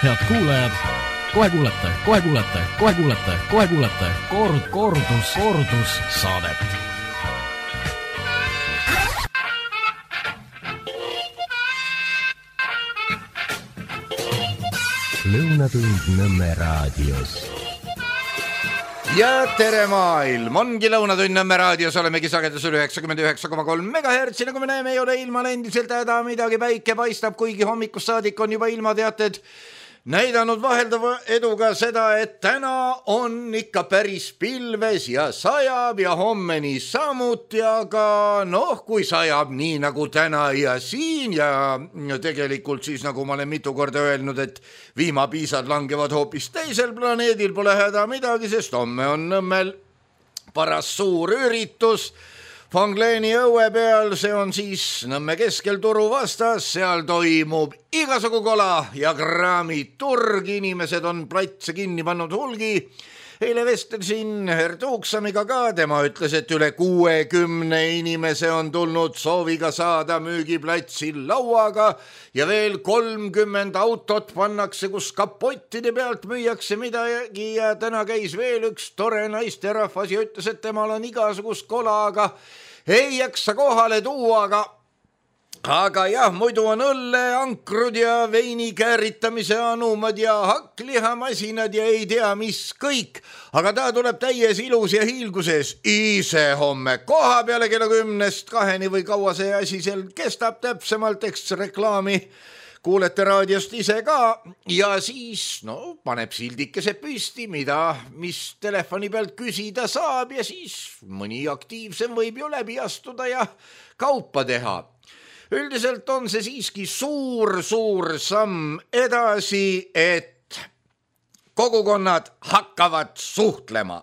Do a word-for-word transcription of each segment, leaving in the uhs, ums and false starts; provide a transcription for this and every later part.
Head kuulajad, kohe kuulete, kohe kuulete, kohe kuulete, kohe kuulete kord, kordus, kordus saadet. Lõunatund Nõmme raadios. Ja tere maailm, ongi Lõunatund Nõmme raadios, olemegi sagedusel üheksakümmend üheksa koma kolm megahertsi, nagu me näeme, ei ole ilmal endiselt häda midagi, päike paistab, kuigi hommikust saadik on juba ilmateated näidanud vaheldava eduga seda, et täna on ikka päris pilves ja sajab ja homme nii samuti, aga noh, kui sajab nii nagu täna ja siin ja tegelikult siis nagu ma olen mitu korda öelnud, et viimapiisad langevad hoopis teisel planeedil, pole häda midagi, sest homme on Nõmmel paras suur üritus Fangleeni õue peal, see on siis Nõmme keskel turu vastas, seal toimub igasugu kola ja kraamiturg, inimesed on platse kinni pannud hulgi. Eile vestlesin Hertuuksamiga ka, tema ütles, et üle kuuekümne inimese on tulnud sooviga saada müügiplatsil lauaga ja veel kolmkümmend autot pannakse, kus kapottide pealt müüakse midagi ja täna käis veel üks tore naisterahvas ja ütles, et temal on igasugust kola, aga ei jaksa kohale tuua, aga Aga jah, muidu on õlle, ankrud ja veini kääritamise anumad ja hakklihamasinad ja ei tea mis kõik. Aga ta tuleb täies ilus ja hiilguses ise homme koha peale kella kümnest kaheni või kaua see asi seal kestab täpsemalt, eks reklaami kuulete raadiost ise ka ja siis no, paneb sildikese püsti, mida, mis telefoni pealt küsida saab ja siis mõni aktiivsem võib ju läbi astuda ja kaupa teha. Üldiselt on see siiski suur, suur samm edasi, et kogukonnad hakkavad suhtlema.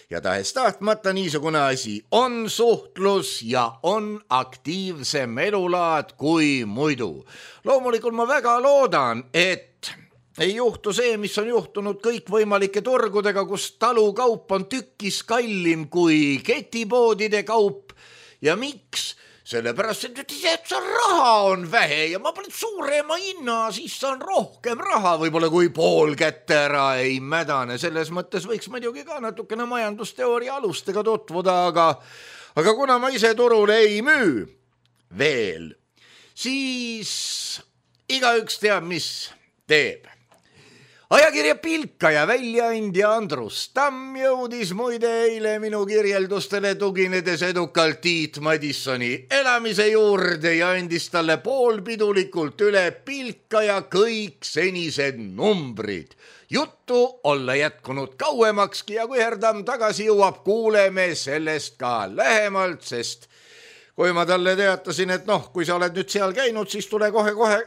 Ja tahes tahtmata niisugune asi on suhtlus ja on aktiivsem elulaad kui muidu. Loomulikult ma väga loodan, et ei juhtu see, mis on juhtunud kõikvõimalike turgudega, kus talukaup on tükkis kallim kui ketipoodide kaup. Ja miks? Sellepärast, et see raha on vähe ja ma panen suurema hinna, siis on rohkem raha, võib-olla kui pool kätte ära ei mädane. Selles mõttes võiks muidugi ka natukene majandusteooria alustega tutvuda, aga, aga kuna ma ise turule ei müü veel, siis igaüks teab, mis teeb. Ajakirja Pilkaja väljaandja Andrus Tamm jõudis muide eile minu kirjeldustele tuginedes edukalt Tiit Madissoni elamise juurde ja andis talle poolpidulikult üle Pilkaja kõik senised numbrid. Juttu olla jätkunud kauemakski ja kui Herdam tagasi jõuab, kuuleme sellest ka lähemalt, sest kui ma talle teatasin, et noh, kui sa oled nüüd seal käinud, siis tule kohe-kohe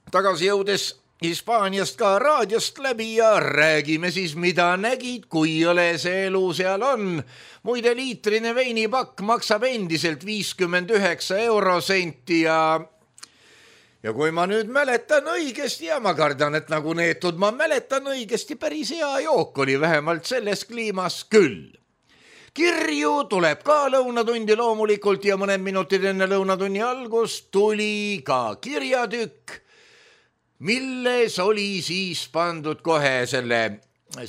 tagasi jõudes Hispaaniast ka raadiost läbi ja räägime siis, mida nägid, kui ole see elu seal on. Muide liitrine veinipakk maksab endiselt viiskümmend üheksa eurosenti ja, ja kui ma nüüd mäletan õigesti ja ma kardan, et nagu neetud ma mäletan õigesti, päris hea jook oli vähemalt selles kliimas küll. Kirju tuleb ka lõunatundi loomulikult ja mõned minutid enne lõunatunni algust tuli ka kirjatükk, milles oli siis pandud kohe selle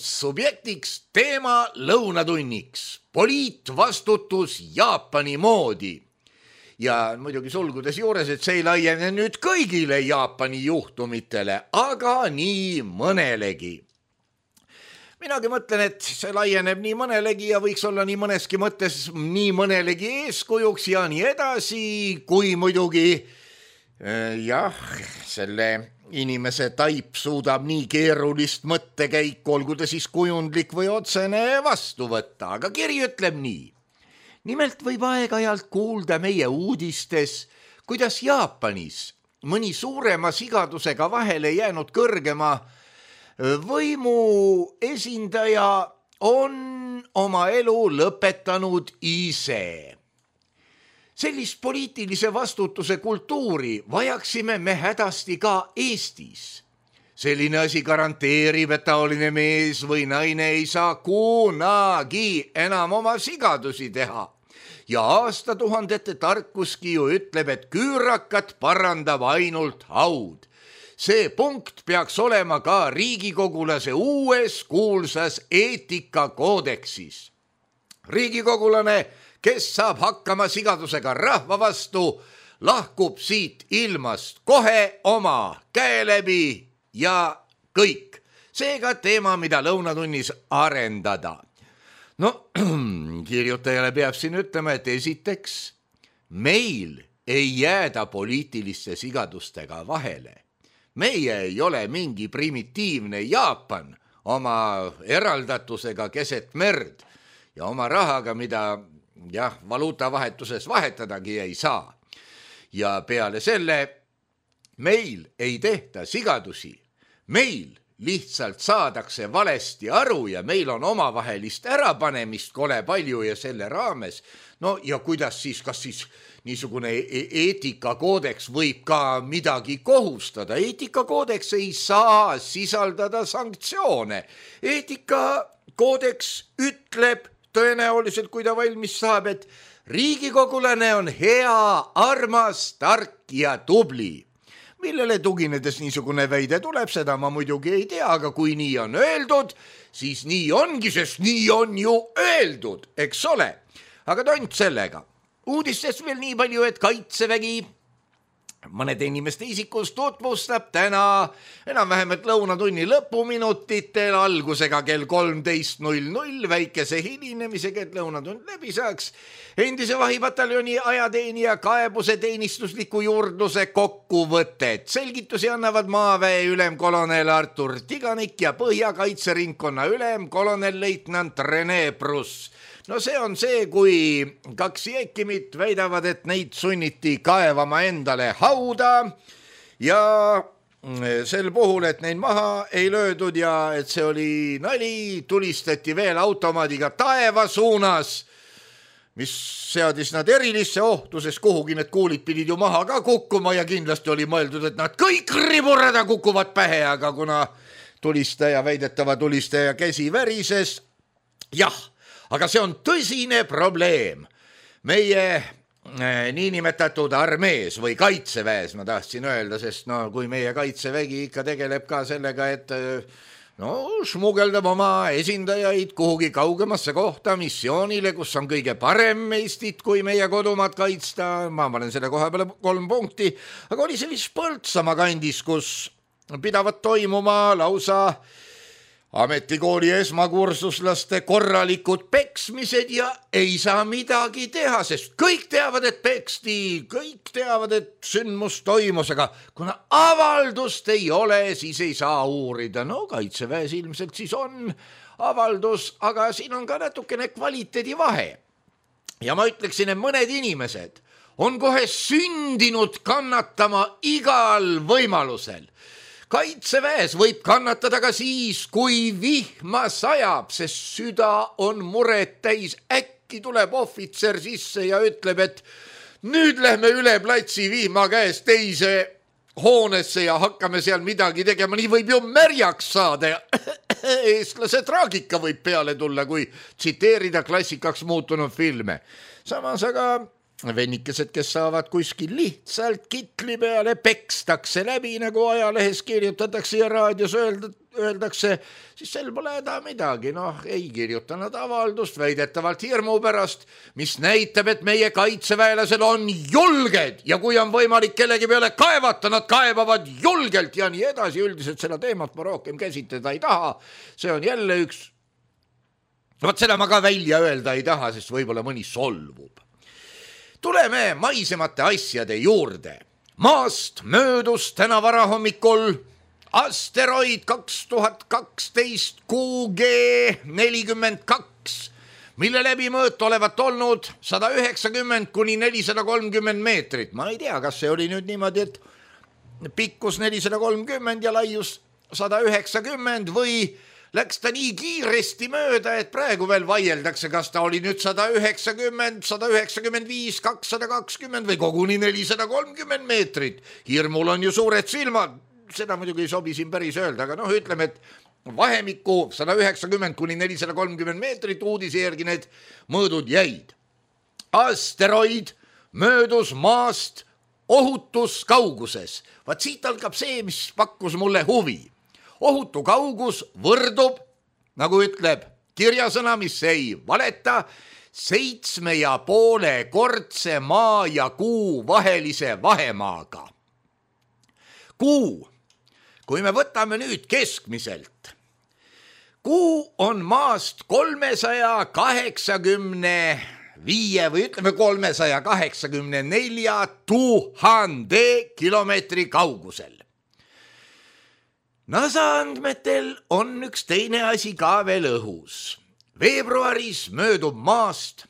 subjektiks teema lõunatunniks, poliitvastutus Jaapani moodi. Ja muidugi sulgudes juures, et see ei laiene nüüd kõigile Jaapani juhtumitele, aga nii mõnelegi. Minagi mõtlen, et see laieneb nii mõnelegi ja võiks olla nii mõneski mõttes nii mõnelegi eeskujuks ja nii edasi, kui muidugi jah, selle inimese taip suudab nii keerulist mõttekäiku, olgu ta siis kujundlik või otsene vastu võtta, aga kiri ütleb nii. Nimelt võib aeg-ajalt kuulda meie uudistes, kuidas Jaapanis mõni suurema sigadusega vahele jäänud kõrgema võimu esindaja on oma elu lõpetanud ise. Sellist poliitilise vastutuse kultuuri vajaksime me hädasti ka Eestis. Selline asi garanteerib, et taoline mees või naine ei saa kunagi enam oma sigadusi teha. ja aastatuhandete tarkuski ju ütleb, et küürakat parandab ainult haud. See punkt peaks olema ka riigikogulase uues kuulsas eetikakoodeksis. Riigikogulane, kes saab hakkama sigadusega rahva vastu, lahkub siit ilmast kohe oma käe läbi ja kõik. Seega teema, mida lõunatunnis arendada. No, kirjutajale peab siin ütlema, et esiteks, meil ei jääda poliitiliste sigadustega vahele. Meie ei ole mingi primitiivne Jaapan oma eraldatusega keset merd ja oma rahaga, mida jah, valuutavahetuses vahetadagi ei saa. Ja peale selle meil ei tehta sigadusi, meil lihtsalt saadakse valesti aru ja meil on omavahelist ärapanemist kole palju ja selle raames. No ja kuidas siis, kas siis niisugune eetikakoodeks võib ka midagi kohustada? Eetikakoodeks ei saa sisaldada sanktsioone. Eetikakoodeks ütleb tõenäoliselt, kui ta valmis saab, et riigikogulane on hea, armas, tark ja tubli. Millele tuginedes niisugune väide tuleb, seda ma muidugi ei tea, aga kui nii on öeldud, siis nii ongi, sest nii on ju öeldud, eks ole. Aga tont sellega. Uudistest veel nii palju, et Kaitsevägi mõnede inimeste isikus tutvustab täna enam-vähem et lõunatunni lõpuminutitel algusega kell kolmteist null null väikese hilinemisega, et lõunatund läbi saaks endise vahipataljoni ajateenija kaebuse teenistusliku juurdluse kokkuvõtet. Selgitusi annavad maaväe ülemkolonel Artur Tiganik ja Põhjakaitseringkonna ülem kolonel leitnant Rene Pruss. No see on see, kui kaks jeekimit väidavad, et neid sunniti kaevama endale hauda ja sel puhul, et neid maha ei löödud ja et see oli nali, tulistati veel automaadiga taeva suunas, mis seadis nad erilisse ohtu, sest kuhugi need kuulid pidid ju maha ka kukkuma ja kindlasti oli mõeldud, et nad kõik riburada kukuvad pähe, aga kuna tulistaja, väidetava tulistaja käsi värises, jah, aga see on tõsine probleem meie äh, niinimetatud armees või kaitseväes, ma tahtsin öelda, sest no kui meie kaitsevägi ikka tegeleb ka sellega, et no smugeldab oma esindajaid kuhugi kaugemasse kohta missioonile, kus on kõige parem Eestit, kui meie kodumaad kaitsta, ma panen selle koha peale kolm punkti, aga oli see vist Põltsamaa kandis, kus pidavad toimuma lausa ametikooli esmakursuslaste korralikud peksmised ja ei saa midagi teha, sest kõik teavad, et peksti, kõik teavad, et sündmus toimus, aga kuna avaldust ei ole, siis ei saa uurida. No kaitseväes ilmselt siis on avaldus, aga siin on ka natukene kvaliteedi vahe. Ja ma ütleksin, et mõned inimesed on kohe sündinud kannatama igal võimalusel. Kaitseväes võib kannatada ka siis, kui vihma sajab, sest süda on muret täis. Äkki tuleb ohvitser sisse ja ütleb, et nüüd lähme üle platsi vihma käest teise hoonesse ja hakkame seal midagi tegema. Nii võib ju märjaks saada ja eestlase traagika võib peale tulla, kui tsiteerida klassikaks muutunud filme. Samas aga vennikesed, kes saavad kuskil lihtsalt kitli peale, pekstakse läbi, nagu ajalehes kirjutatakse ja raadios öeldakse, siis sel pole häda midagi. Noh, ei kirjuta nad avaldust väidetavalt hirmu pärast, mis näitab, et meie kaitseväelased on julged ja kui on võimalik kellegi peale kaevata, nad kaebavad julgelt ja nii edasi. Üldiselt seda teemat ma rohkem käsitleda ei taha. See on jälle üks, vaat seda ma ka välja öelda ei taha, sest võib-olla mõni solvub. Tuleme maisemate asjade juurde. Maast möödus täna varahommikul asteroid kaks tuhat kaksteist Q G nelikümmend kaks, mille läbimõõt olevat olnud sada üheksakümmend kuni nelisada kolmkümmend meetrit. Ma ei tea, kas see oli nüüd niimoodi, et pikkus nelisada kolmkümmend ja laius sada üheksakümmend või läks ta nii kiiresti mööda, et praegu veel vaieldakse, kas ta oli nüüd sada üheksakümmend, sada üheksakümmend viis, kakssada kakskümmend või koguni nelisada kolmkümmend meetrit. Hirmul on ju suured silmad, seda muidugi ei sobi siin päris öelda, aga noh, ütleme, et vahemikku sada üheksakümmend kuni nelisada kolmkümmend meetrit uudise järgi need mõõdud jäid. asteroid möödus maast ohutus kauguses. Vaat siit algab see, mis pakkus mulle huvi. Ohutu kaugus võrdub, nagu ütleb kirjasõna, mis ei valeta, seitsme ja poole kordse maa ja kuu vahelise vahemaaga. Kuu, kui me võtame nüüd keskmiselt, kuu on maast kolmesaja kaheksakümne viie või ütleme kolmesaja kaheksakümne nelja tuhande kilomeetri kaugusel. NASA andmetel on üks teine asi ka veel õhus. Veebruaris möödub maast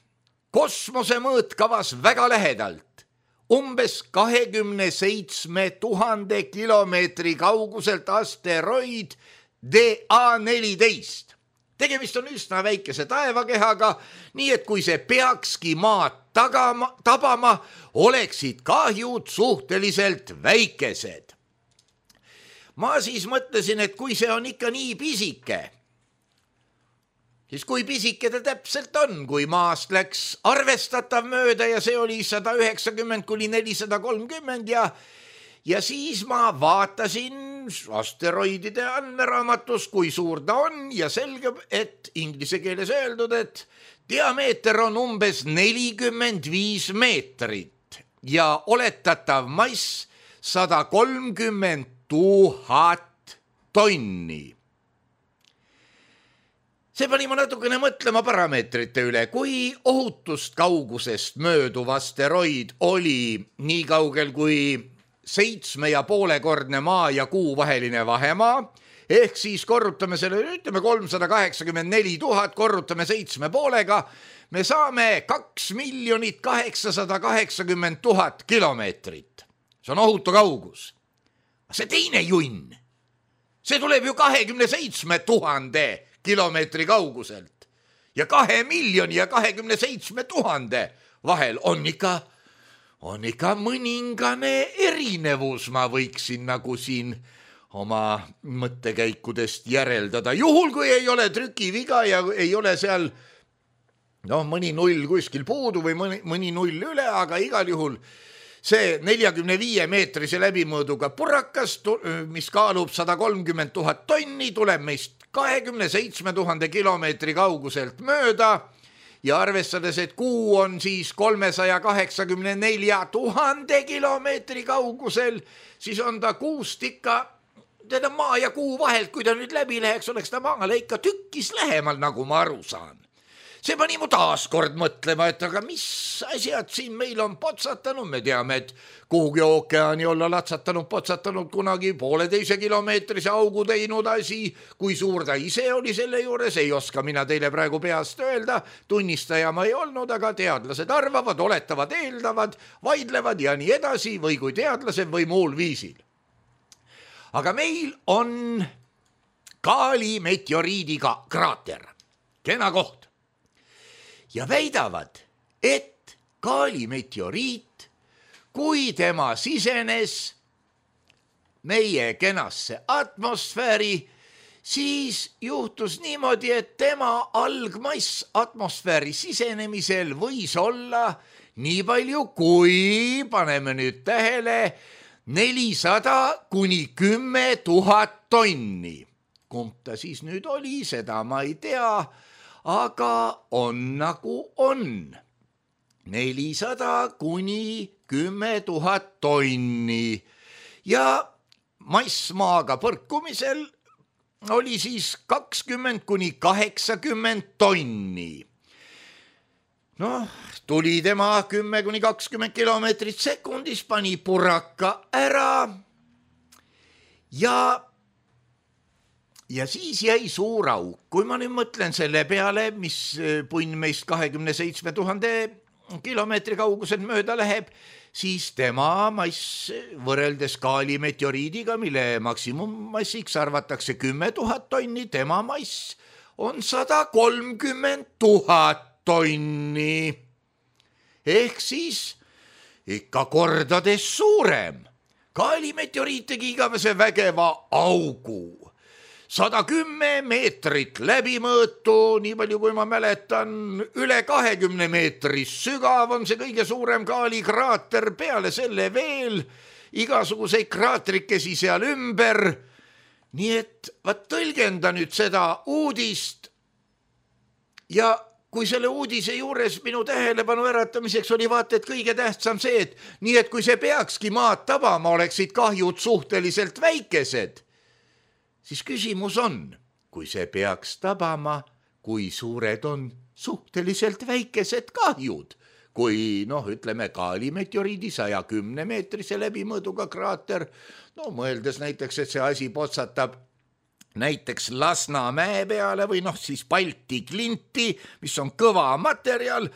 kosmose mõõtkavas väga lähedalt, umbes kahekümne seitsme tuhande kilomeetri kauguselt asteroid D A neliteist. Tegemist on üsna väikese taevakehaga, nii et kui see peakski maad tagama, tabama, oleksid kahjud suhteliselt väikesed. Ma siis mõtlesin, et kui see on ikka nii pisike, siis kui pisike ta täpselt on, kui maast läks arvestatav mööda ja see oli sada üheksakümmend kuni nelisada kolmkümmend ja, ja siis ma vaatasin asteroidide andmeraamatus, kui suur ta on ja selgub, et inglise keeles öeldud, et diameeter on umbes nelikümmend viis meetrit ja oletatav mass sada kolmkümmend tuhat tonni. See pani ma natukene mõtlema parameetrite üle, kui ohutust kaugusest mööduv asteroid oli nii kaugel kui seitsme ja poolekordne maa ja kuu vaheline vahemaa, ehk siis korrutame selle, ütleme kolmsada kaheksakümmend neli tuhat, korrutame seitsme poolega, me saame kaks miljonit kaheksasada kaheksakümmend tuhat kilomeetrit. See on ohutu kaugus. See teine junn, see tuleb ju kahekümne seitsme tuhande kilomeetri kauguselt ja kahe miljoni ja kahekümne seitsme tuhande vahel on ikka, on ikka mõningane erinevus, ma võiksin nagu siin oma mõttekäikudest järeldada. Juhul, kui ei ole trükiviga ja ei ole seal no, mõni null kuskil puudu või mõni, mõni null üle, aga igal juhul see neljakümne viie meetrise läbimõõduga purakas, mis kaalub sada kolmkümmend tuhat tonni, tuleb meist kahekümne seitsme tuhande kilomeetri kauguselt mööda ja arvestades, et kuu on siis kolmesaja kaheksakümne nelja tuhande kilomeetri kaugusel, siis on ta kuust ikka, teda maa ja kuu vahelt, kui ta nüüd läbi läheks, oleks ta maale ikka tükkis lähemal, nagu ma aru saan. See pani mu taas kord mõtlema, et aga mis asjad siin meil on potsatanud, me teame, et kuhugi ookeani olla latsatanud, potsatanud kunagi pooleteise kilomeetrise augu teinud asi, kui suur ta ise oli selle juures, ei oska mina teile praegu peast öelda, tunnistaja ma ei olnud, aga teadlased arvavad, oletavad, eeldavad, vaidlevad ja nii edasi või kui teadlased või muul viisil. Aga meil on Kaali meteoriidiga kraater, kena koht. Ja väidavad, et Kaali meteoriit, kui tema sisenes meie kenasse atmosfääri, siis juhtus niimoodi, et tema algmass atmosfääri sisenemisel võis olla nii palju, kui paneme nüüd tähele, nelisada kuni kümme tuhat tonni. Kumb ta siis nüüd oli, seda ma ei tea, aga on nagu on. nelisada kuni kümme tuhat tonni ja massmaaga põrkumisel oli siis kakskümmend kuni kaheksakümmend tonni. Noh, tuli tema kümme kuni kakskümmend kilomeetrit sekundis, pani puraka ära ja Ja siis jäi suur auk. Kui ma nüüd mõtlen selle peale, mis punn meist kahekümne seitsme tuhande kilomeetri kaugusel mööda läheb, siis tema mass võrreldes Kaali meteoriidiga, mille maksimummassiks arvatakse kümme tuhat tonni, tema mass on sada kolmkümmend tuhat tonni. Ehk siis ikka kordades suurem. Kaali meteoriit tegi igavese vägeva augu. sada kümme meetrit läbimõõtu, nii palju kui ma mäletan, üle kahekümne meetri sügav on see kõige suurem kaalikraater, peale selle veel igasuguseid kraatrikesi seal ümber. Nii et vaat tõlgenda nüüd seda uudist ja kui selle uudise juures minu tähelepanu äratamiseks oli vaata, et kõige tähtsam see, et nii et kui see peakski maad tabama, oleksid kahjud suhteliselt väikesed, siis küsimus on, kui see peaks tabama, kui suured on suhteliselt väikesed kahjud, kui noh, ütleme kaalimeteoriidi saja kümne meetrise läbimõõduga kraater, no mõeldes näiteks, et see asi potsatab näiteks Lasnamäe peale või noh, siis Balti klinti, mis on kõva materjal,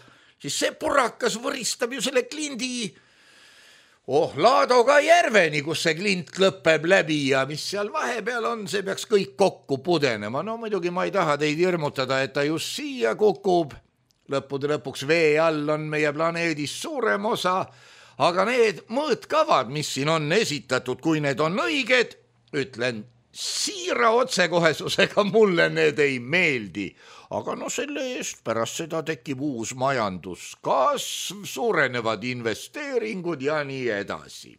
siis see purakas võristab ju selle klindi oh, Laadoga järveni, kus see klint lõpeb läbi ja mis seal vahepeal on, see peaks kõik kokku pudenema. No muidugi ma ei taha teid hirmutada, et ta just siia kukub. Lõppude lõpuks vee all on meie planeedis suurem osa, aga need mõõtkavad, mis siin on esitatud, kui need on õiged, ütlen siira otsekohesusega mulle need ei meeldi, aga no selle eest pärast seda tekib uus majanduskasv, suurenevad investeeringud ja nii edasi.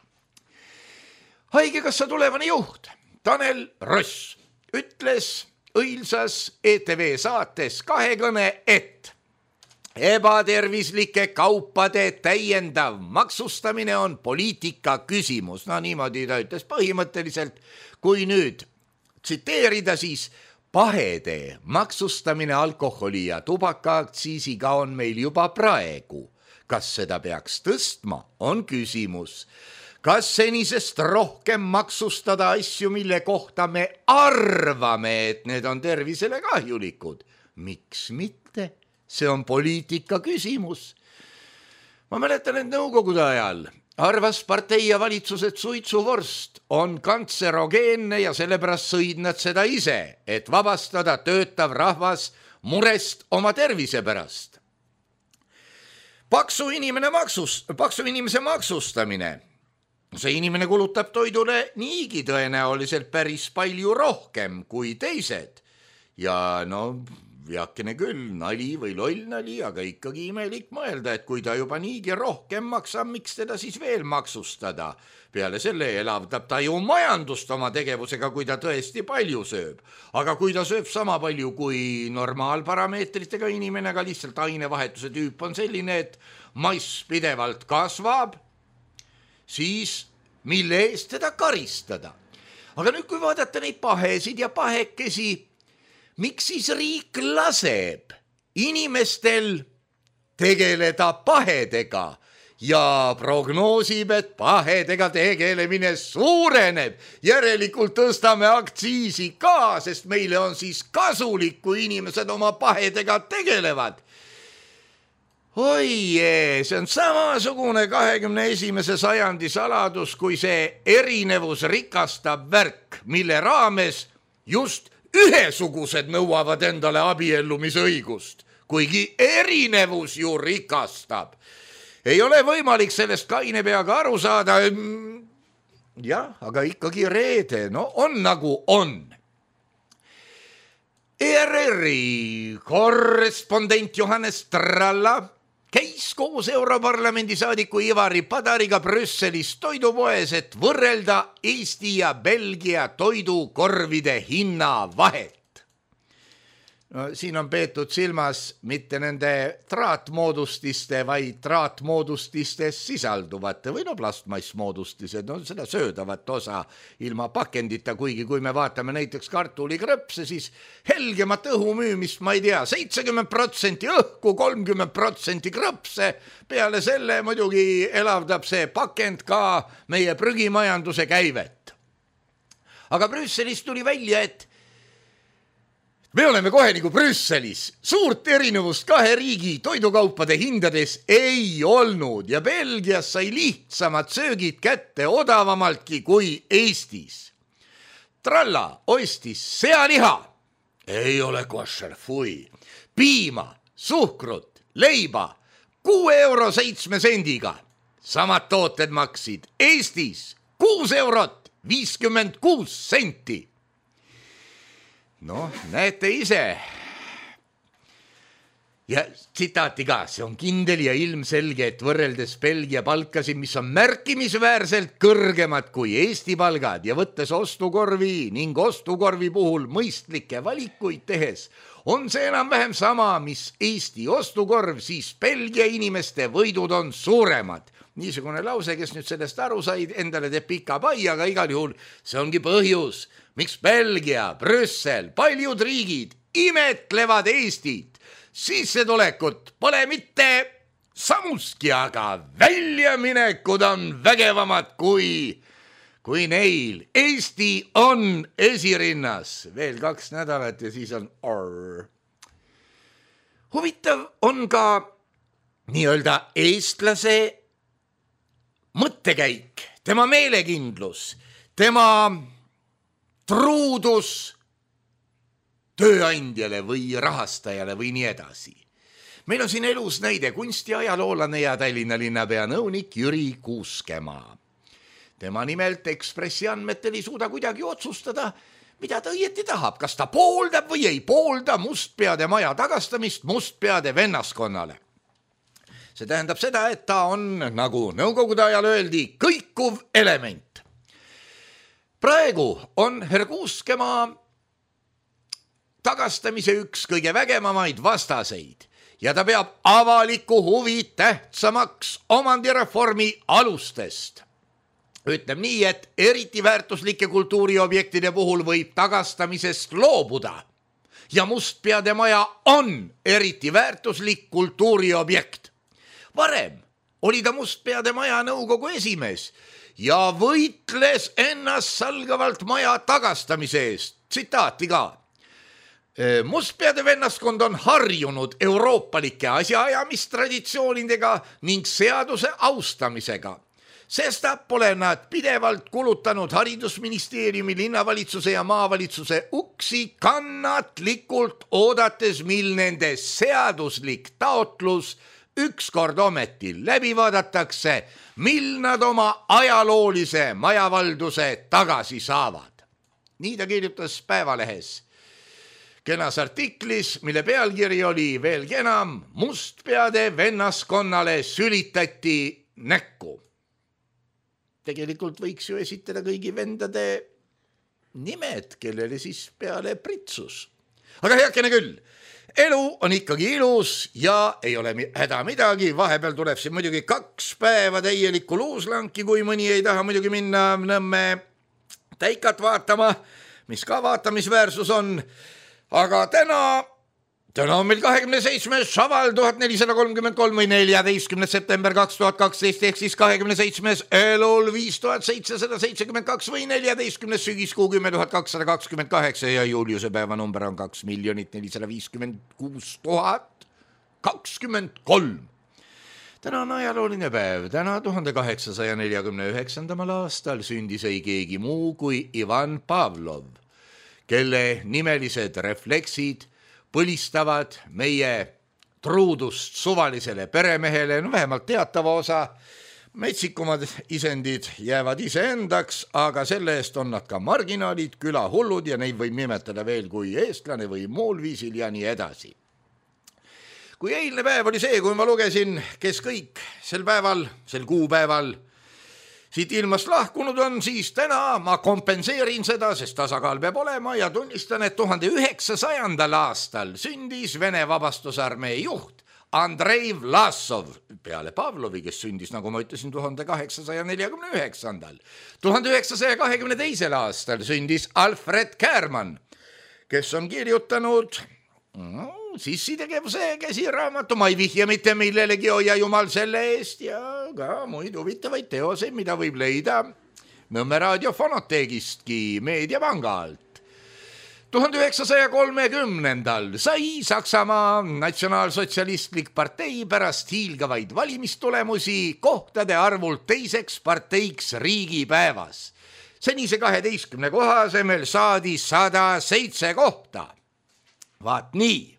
Haigekassa tulevane juht Tanel Ross ütles õilsas E T V saates Kahekõne, et ebatervislike kaupade täiendav maksustamine on poliitika küsimus. No niimoodi ta ütles põhimõtteliselt, kui nüüd tsiteerida, siis pahede maksustamine alkoholi ja tubakaaktsiisiga on meil juba praegu. Kas seda peaks tõstma, on küsimus. Kas senisest rohkem maksustada asju, mille kohta me arvame, et need on tervisele kahjulikud? Miks mitte? See on poliitika küsimus. Ma mäletan, et nõukogude ajal arvas partei ja valitsus, et suitsuvorst on kantserogeenne ja sellepärast sõid nad seda ise, et vabastada töötav rahvas murest oma tervise pärast. Paksu, inimene maksus, paksu inimese maksustamine. See inimene kulutab toidule niigi tõenäoliselt päris palju rohkem kui teised. Ja no veakene küll, nali või loll nali, aga ikkagi imelik mõelda, et kui ta juba niigi rohkem maksab, miks teda siis veel maksustada? Peale selle elavdab ta ju majandust oma tegevusega, kui ta tõesti palju sööb. Aga kui ta sööb sama palju kui normaalparameetritega inimene, aga lihtsalt ainevahetuse tüüp on selline, et mass pidevalt kasvab, siis mille eest teda karistada? Aga nüüd, kui vaadata neid pahesid ja pahekesi, miks siis riik laseb inimestel tegeleda pahedega ja prognoosib, et pahedega tegelemine suureneb. Järelikult tõstame aktsiisi ka, sest meile on siis kasulik, kui inimesed oma pahedega tegelevad. Oi jee, see on samasugune kahekümne esimese sajandi saladus, kui see erinevus rikastab värk, mille raames just ühesugused nõuavad endale abiellumisõigust, kuigi erinevus ju rikastab. Ei ole võimalik sellest kaine peaga aru saada. Jah, aga ikkagi reede, no on nagu on. E R R-i korrespondent Johannes Tralla käis koos Europarlamendi saadiku Ivari Padariga Brüsselis toidupoes, et võrrelda Eesti ja Belgia toidukorvide hinna vahet. No, siin on peetud silmas mitte nende traatmoodustiste, vaid traatmoodustistes sisalduvate või no plastmassmoodustised, no seda söödavat osa ilma pakendita, kuigi kui me vaatame näiteks kartulikrõpse, siis helgemat õhu müümist, ma ei tea, seitsekümmend protsenti õhku, kolmkümmend protsenti krõpse, peale selle muidugi elavdab see pakend ka meie prügimajanduse käivet. Aga Brüsselis tuli välja, et me oleme kohe nagu Brüsselis. Suurt erinevust kahe riigi toidukaupade hindades ei olnud ja Belgias sai lihtsamad söögid kätte odavamaltki kui Eestis. Tralla ostis sealiha, ei ole košer, fui, piima, suhkrut, leiba, kuue euro seitsme sendiga. Samad tooted maksid Eestis kuus eurot viiskümmend kuus senti. noh, näete ise. Ja tsitaati ka, see on kindel ja ilmselge, et võrreldes Belgia palkasid, mis on märkimisväärselt kõrgemad kui Eesti palgad ja võttes ostukorvi ning ostukorvi puhul mõistlikke valikuid tehes, on see enam-vähem sama, mis Eesti ostukorv, siis Belgia inimeste võidud on suuremad. Niisugune lause, kes nüüd sellest aru said, endale teeb pika pai, aga igal juhul see ongi põhjus, miks Belgia, Brüssel, paljud riigid imetlevad Eestit. Sissetulekut pole mitte samuski, aga väljaminekud on vägevamad kui, kui neil. Eesti on esirinnas. Veel kaks nädalat ja siis on orr. Huvitav on ka nii-öelda eestlase mõttekäik, tema meelekindlus, tema truudus tööandjale või rahastajale või nii edasi. Meil on siin elus näide kunstiajaloolane ja Tallinna linnapea nõunik Jüri Kuuskemaa. Tema nimelt Ekspressi andmetel ei suuda kuidagi otsustada, mida ta õieti tahab, kas ta pooldab või ei poolda Mustpeade maja tagastamist Mustpeade vennaskonnale. See tähendab seda, et ta on, nagu nõukogude ajal öeldi, kõikuv element. Praegu on herr Kuuskemaa tagastamise üks kõige vägevamaid vastaseid ja ta peab avaliku huvi tähtsamaks omandireformi alustest. Ütleb nii, et eriti väärtuslike kultuuriobjektide puhul võib tagastamisest loobuda ja Mustpeade maja on eriti väärtuslik kultuuriobjekt. Varem oli ta Mustpeade maja nõukogu esimees ja võitles ennast salgavalt maja tagastamise eest. Tsitaati ka. Mustpeade vennaskond on harjunud euroopalike asjaajamistraditsioonidega ning seaduse austamisega. Sestap pole nad pidevalt kulutanud haridusministeeriumi, linnavalitsuse ja maavalitsuse uksi kannatlikult oodates, mil nende seaduslik taotlus ükskord ometi läbi vaadatakse, mil nad oma ajaloolise majavalduse tagasi saavad. Nii ta kirjutas Päevalehes. Kenas artiklis, mille pealkiri oli veelgi enam, Mustpeade vennaskonnale sülitati näkku. Tegelikult võiks ju esitada kõigi vendade nimed, kellele siis peale pritsus. Aga heakene küll, elu on ikkagi ilus ja ei ole häda midagi, vahepeal tuleb siin muidugi kaks päeva täielikku luuslanki, kui mõni ei taha muidugi minna Nõmme täikat vaatama, mis ka vaatamisväärsus on. Aga täna, täna on meil kahekümne seitsmes Šaval tuhat nelisada kolmkümmend kolm või neljateistkümnes september kaks tuhat kaksteist ehk siis kahekümne seitsmes Elul viis tuhat seitsesada seitsekümmend kaks või neljateistkümnes sügiskuu kümme tuhat kakssada kakskümmend kaheksa ja Juliuse päeva number on kaks miljonit nelisada viiskümmend kuus tuhat kakskümmend kolm. Täna on ajalooline päev. Täna tuhande kaheksasaja neljakümne üheksandamal aastal sündis ei keegi muu kui Ivan Pavlov, kelle nimelised refleksid põlistavad meie truudust suvalisele peremehele, no vähemalt teatava osa. Metsikumad isendid jäävad iseendaks, aga selle eest on nad ka marginaalid, külahullud ja neid võib nimetada veel kui eestlane või muul viisil ja nii edasi. Kui eilne päev oli see, kui ma lugesin, kes kõik sel päeval, sel kuupäeval siit ilmast lahkunud on, siis täna ma kompenseerin seda, sest tasakaal peab olema ja tunnistan, et tuhande üheksasajandal aastal sündis Vene vabastusarmee juht Andrei Vlasov peale Pavlovi, kes sündis, nagu ma ütlesin, tuhande kaheksasaja neljakümne üheksandal. tuhande üheksasaja kahekümne teisel aastal sündis Alfred Kärman, kes on kirjutanud no, sissitegevuse käsiraamatu, ma ei vihja mitte millelegi, hoia jumal selle eest ja ka muid huvitavaid teoseid, mida võib leida Nõmme raadio fonoteegistki meediapanga alt. tuhande üheksasaja kolmekümnendal sai Saksamaa natsionaalsotsialistlik partei pärast hiilgavaid valimistulemusi kohtade arvult teiseks parteiks riigipäevas. Senise kaheteistkümne koha asemel saadi sada seitse kohta. Vaat nii.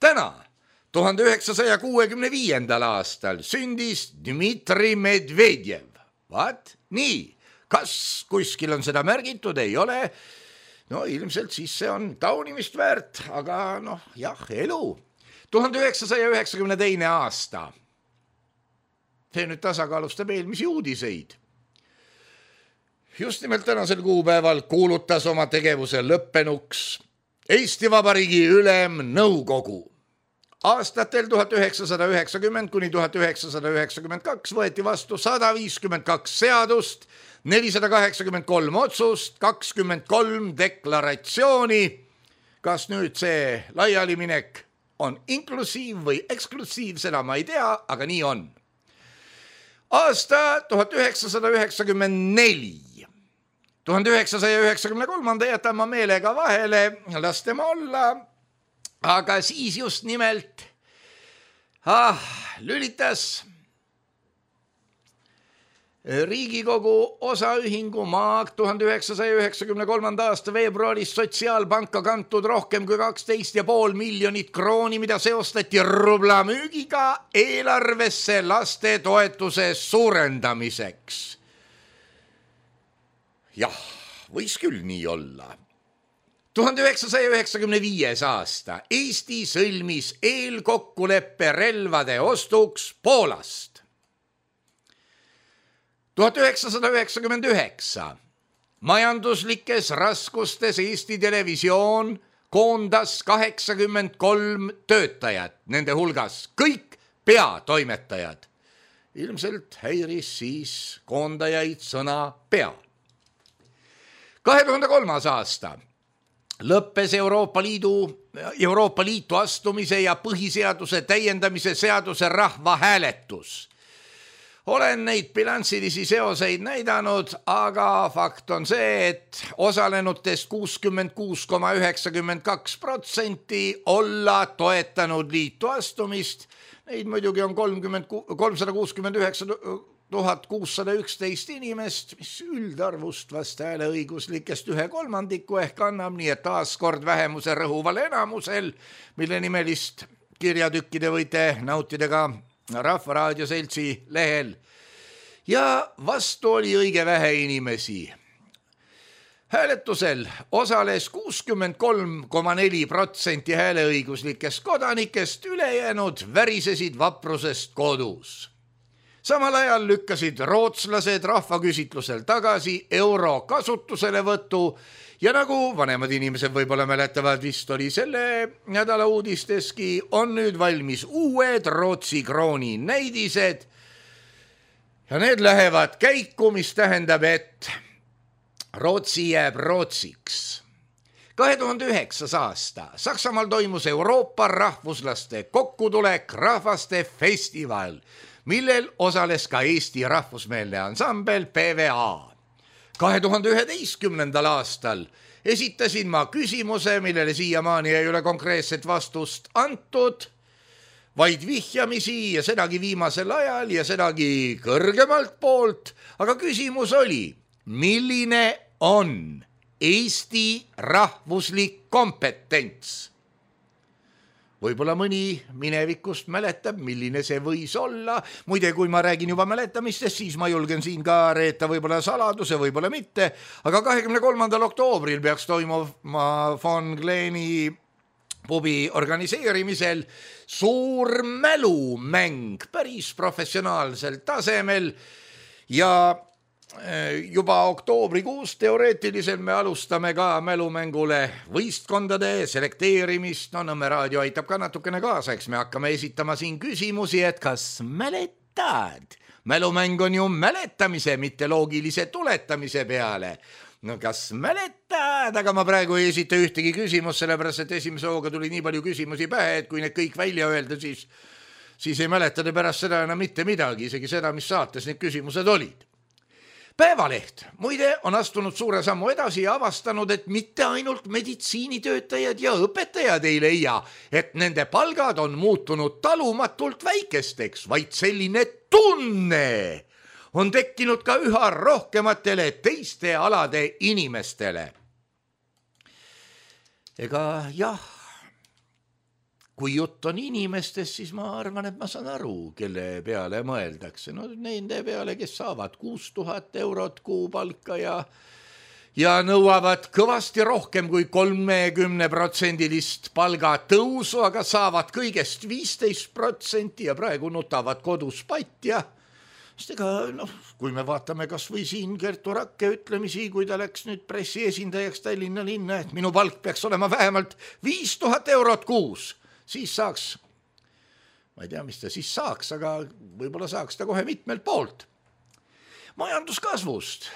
Täna, tuhande üheksasaja kuuekümne viiendal aastal sündis Dmitri Medvedjev. Vaat nii, kas kuskil on seda märgitud, ei ole. no ilmselt siis see on taunimist väärt, aga noh, jah, elu. tuhande üheksasaja üheksakümne teine aasta. See nüüd tasakaalustab eelmisi uudiseid. Just nimelt tänasel kuupäeval kuulutas oma tegevuse lõppenuks Eesti Vabariigi Ülemnõukogu. Aastatel tuhat üheksasada üheksakümmend kuni tuhat üheksasada üheksakümmend kaks võeti vastu sada viiskümmend kaks seadust, nelisada kaheksakümmend kolm otsust, kakskümmend kolm deklaratsiooni. Kas nüüd see laialiminek on inklusiiv või eksklusiiv, seda ma ei tea, aga nii on. Aasta tuhat üheksasada üheksakümmend neli. tuhande üheksasaja üheksakümne kolmanda jätan ma meelega vahele, las tema olla, aga siis just nimelt ah, lülitas Riigikogu osaühingu Maag tuhande üheksasaja üheksakümne kolmanda aasta veebruaris sotsiaalpanka kantud rohkem kui kaksteist ja pool miljonit krooni, mida seostati rubla müügiga eelarvesse laste toetuse suurendamiseks. Jah, võis küll nii olla. tuhande üheksasaja üheksakümne viies aasta Eesti sõlmis eelkokkuleppe relvade ostuks Poolast. tuhat üheksasada üheksakümmend üheksa. Majanduslikes raskustes Eesti Televisioon koondas kaheksakümmend kolm töötajat, nende hulgas kõik peatoimetajad. Ilmselt häiris siis koondajaid sõna pea. kahe tuhande kolmas aasta lõppes Euroopa Liidu, Euroopa Liitu astumise ja põhiseaduse täiendamise seaduse rahvahääletus. Olen neid bilansilisi seoseid näidanud, aga fakt on see, et osalenutest kuuskümmend kuus koma üheksakümmend kaks protsenti olla toetanud liitu astumist. Neid muidugi on kolmsada kuuskümmend üheksa tuhat kuussada üksteist inimest, mis üldarvust vast hääleõiguslikest ühe kolmandiku ehk annab, nii et taaskord vähemuse rõhuval enamusel, mille nimelist kirjatükkide võite nautida ka Rahvaraadio seltsi lehel. Ja vastu oli õige vähe inimesi. Hääletusel osales kuuskümmend kolm koma neli protsenti hääleõiguslikest kodanikest, ülejäänud värisesid vaprusest kodus. Samal ajal lükkasid rootslased rahvaküsitlusel tagasi euro kasutuselevõtu ja nagu vanemad inimesed võib-olla mäletavad, vist oli selle nädala uudisteski, on nüüd valmis uued Rootsi krooni näidised ja need lähevad käiku, mis tähendab, et Rootsi jääb Rootsiks. kahe tuhande üheksas aasta Saksamaal toimus Euroopa rahvuslaste kokkutulek rahvaste festival, millel osales ka Eesti rahvusmeelne ansambel P V A. kahe tuhande üheteistkümnendal aastal esitasin ma küsimuse, millele siiamaani ei ole konkreetset vastust antud, vaid vihjamisi ja sedagi viimasel ajal ja sedagi kõrgemalt poolt, aga küsimus oli, milline on Eesti rahvuslik kompetents? Võib-olla mõni minevikust mäletab, milline see võis olla. Muide, kui ma räägin juba mäletamistest, siis ma julgen siin ka reeta võib-olla saladuse, võib-olla mitte. Aga kahekümne kolmandal oktoobril peaks toimuma Von Gleni pubi organiseerimisel suur mälumäng päris professionaalsel tasemel ja juba oktoobrikuus teoreetiliselt me alustame ka mälumängule võistkondade selekteerimist. No Nõmme raadio aitab ka natukene kaasa, eks me hakkame esitama siin küsimusi, et kas mäletad? Mälumäng on ju mäletamise, mitte loogilise tuletamise peale. No kas mäletad, aga ma praegu ei esita ühtegi küsimus, sellepärast et esimese hooga tuli nii palju küsimusi pähe, et kui need kõik välja öelda, siis, siis ei mäletade pärast seda enam mitte midagi, isegi seda, mis saates need küsimused olid. Päevaleht, muide, on astunud suure sammu edasi ja avastanud, et mitte ainult meditsiinitöötajad ja õpetajad ei leia, et nende palgad on muutunud talumatult väikesteks, vaid selline tunne on tekkinud ka üha rohkematele teiste alade inimestele. Ega jah, kui jutt on inimestest, siis ma arvan, et ma saan aru, kelle peale mõeldakse. No nende peale, kes saavad kuus tuhat eurot kuupalka ja, ja nõuavad kõvasti rohkem kui kolmekümne protsendilist palgatõusu, aga saavad kõigest viisteist protsenti ja praegu nutavad kodus patt ja sest ega, noh, kui me vaatame kas või siin Kertu Rakke ütlemisi, kui ta läks nüüd pressi esindajaks Tallinna linna, et minu palk peaks olema vähemalt viis tuhat eurot kuus, siis saaks, ma ei tea, mis ta siis saaks, aga võib-olla saaks ta kohe mitmelt poolt. Majanduskasvust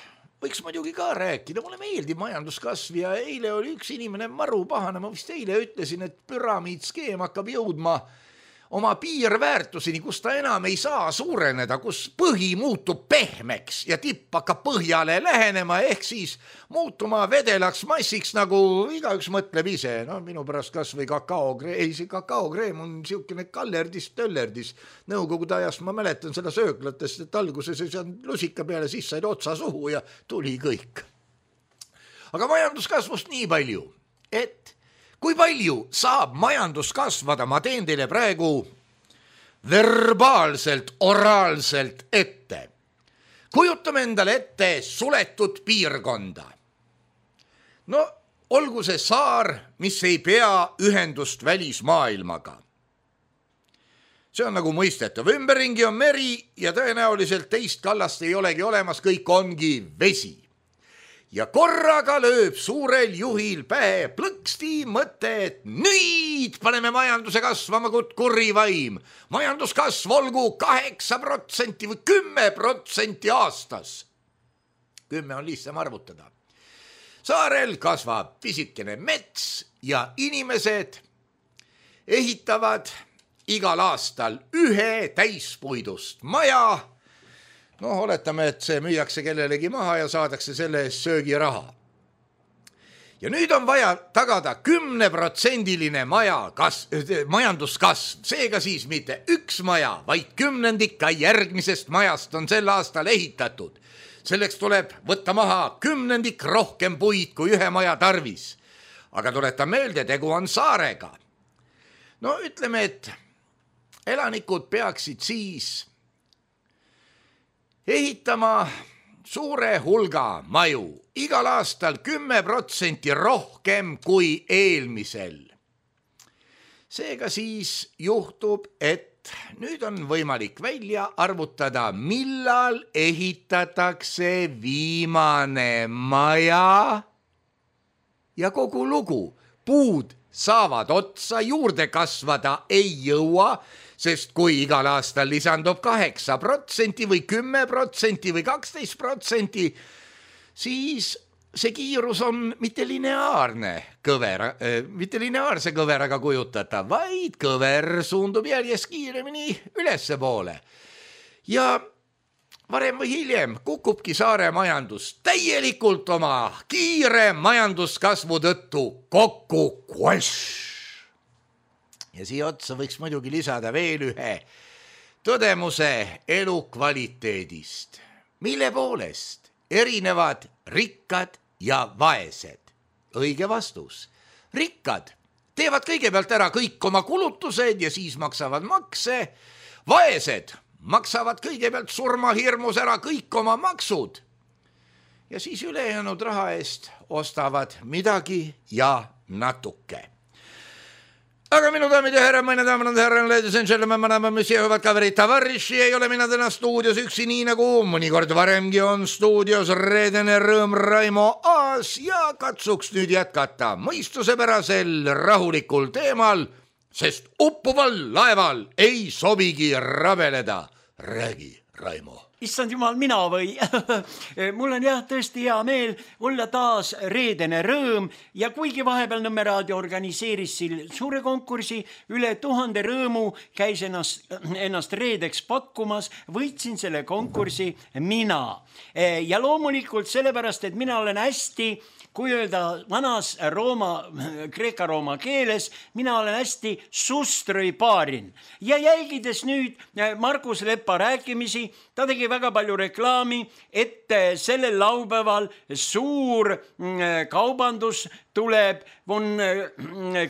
võiks muidugi ka rääkida, mulle meeldib majanduskasv ja eile oli üks inimene maru pahane, ma vist eile ütlesin, et püramiidskeem hakkab jõudma oma piirväärtuseni, kus ta enam ei saa suureneda, kus põhi muutub pehmeks ja tipp hakkab põhjale lähenema, ehk siis muutuma vedelaks massiks, nagu igaüks mõtleb ise. No minu pärast kas või kakaokreem, ei see kakaokreem on siukene kallerdis, töllerdis. Nõukogude ajast ma mäletan seda sööklatest, et alguses ei saanud lusika peale, siis said otsa suhu ja tuli kõik. Aga majanduskasvust nii palju, et kui palju saab majandus kasvada, ma teen teile praegu verbaalselt, oraalselt ette. Kujutame endale ette suletud piirkonda. No olgu see saar, mis ei pea ühendust välismaailmaga. See on nagu mõistetav. Ümberringi on meri ja tõenäoliselt teist kallast ei olegi olemas, kõik ongi vesi. Ja korraga lööb suurel juhil pähe plõksti mõte, et nüüd paneme majanduse kasvama kui kurri vaim. Majanduskasv olgu kaheksa protsenti või kümme protsenti aastas. Kümme on lihtsam arvutada. Saarel kasvab pisikene mets ja inimesed ehitavad igal aastal ühe täispuidust maja. No oletame, et see müüakse kellelegi maha ja saadakse selle eest söögiraha. Ja nüüd on vaja tagada kümneprotsendiline maja kas, majanduskasv. Seega siis mitte üks maja, vaid kümnendik ka järgmisest majast on sel aastal ehitatud. Selleks tuleb võtta maha kümnendik rohkem puid kui ühe maja tarvis. Aga tuletan meelde, tegu on saarega. No ütleme, et elanikud peaksid siis ehitama suure hulga maju, igal aastal kümme protsenti rohkem kui eelmisel. Seega siis juhtub, et nüüd on võimalik välja arvutada, millal ehitatakse viimane maja ja kogu lugu. Puud saavad otsa, juurde kasvada ei jõua, sest kui igal aastal lisandub kaheksa protsenti või kümme protsenti või kaksteist protsenti, siis see kiirus on mitte lineaarne kõver, mitte lineaarse kõveraga kujutata, vaid kõver suundub järjest kiiremini ülesse poole. Ja varem või hiljem kukubki saare majandus täielikult oma kiire majanduskasvu tõttu kokku kvash. Ja siia otsa võiks muidugi lisada veel ühe tõdemuse elukvaliteedist, mille poolest erinevad rikkad ja vaesed. Õige vastus. Rikkad teevad kõigepealt ära kõik oma kulutused ja siis maksavad makse. Vaesed maksavad kõigepealt surmahirmus ära kõik oma maksud ja siis ülejäänud raha eest ostavad midagi ja natuke. Aga minu daamid ja härra, meine daamid ja härra, ladies and gentlemen, madame, monsieur, hüvad kaverid, tavariši, ei ole mina täna stuudios üksi, nii nagu mõnikord varemgi on stuudios reedene rõõm Raimo Aas ja katsuks nüüd jätkata mõistusepärasel rahulikul teemal, sest uppuval laeval ei sobigi rabeleda. Räägi, Raimo. Issand jumal, mina või? Mul on jah tõesti hea meel olla taas reedene rõõm ja kuigi vahepeal Nõmme Raadio organiseeris siin suure konkursi, üle tuhande rõõmu käis ennast, ennast reedeks pakkumas, võitsin selle konkursi mina. Ja loomulikult sellepärast, et mina olen hästi, kui öelda vanas Rooma, Kreeka-Rooma keeles, mina olen hästi sustrõi paarin. Ja jälgides nüüd Margus Lepa rääkimisi, ta tegi väga palju reklaami, et sellel laupäeval suur kaubandus tuleb Von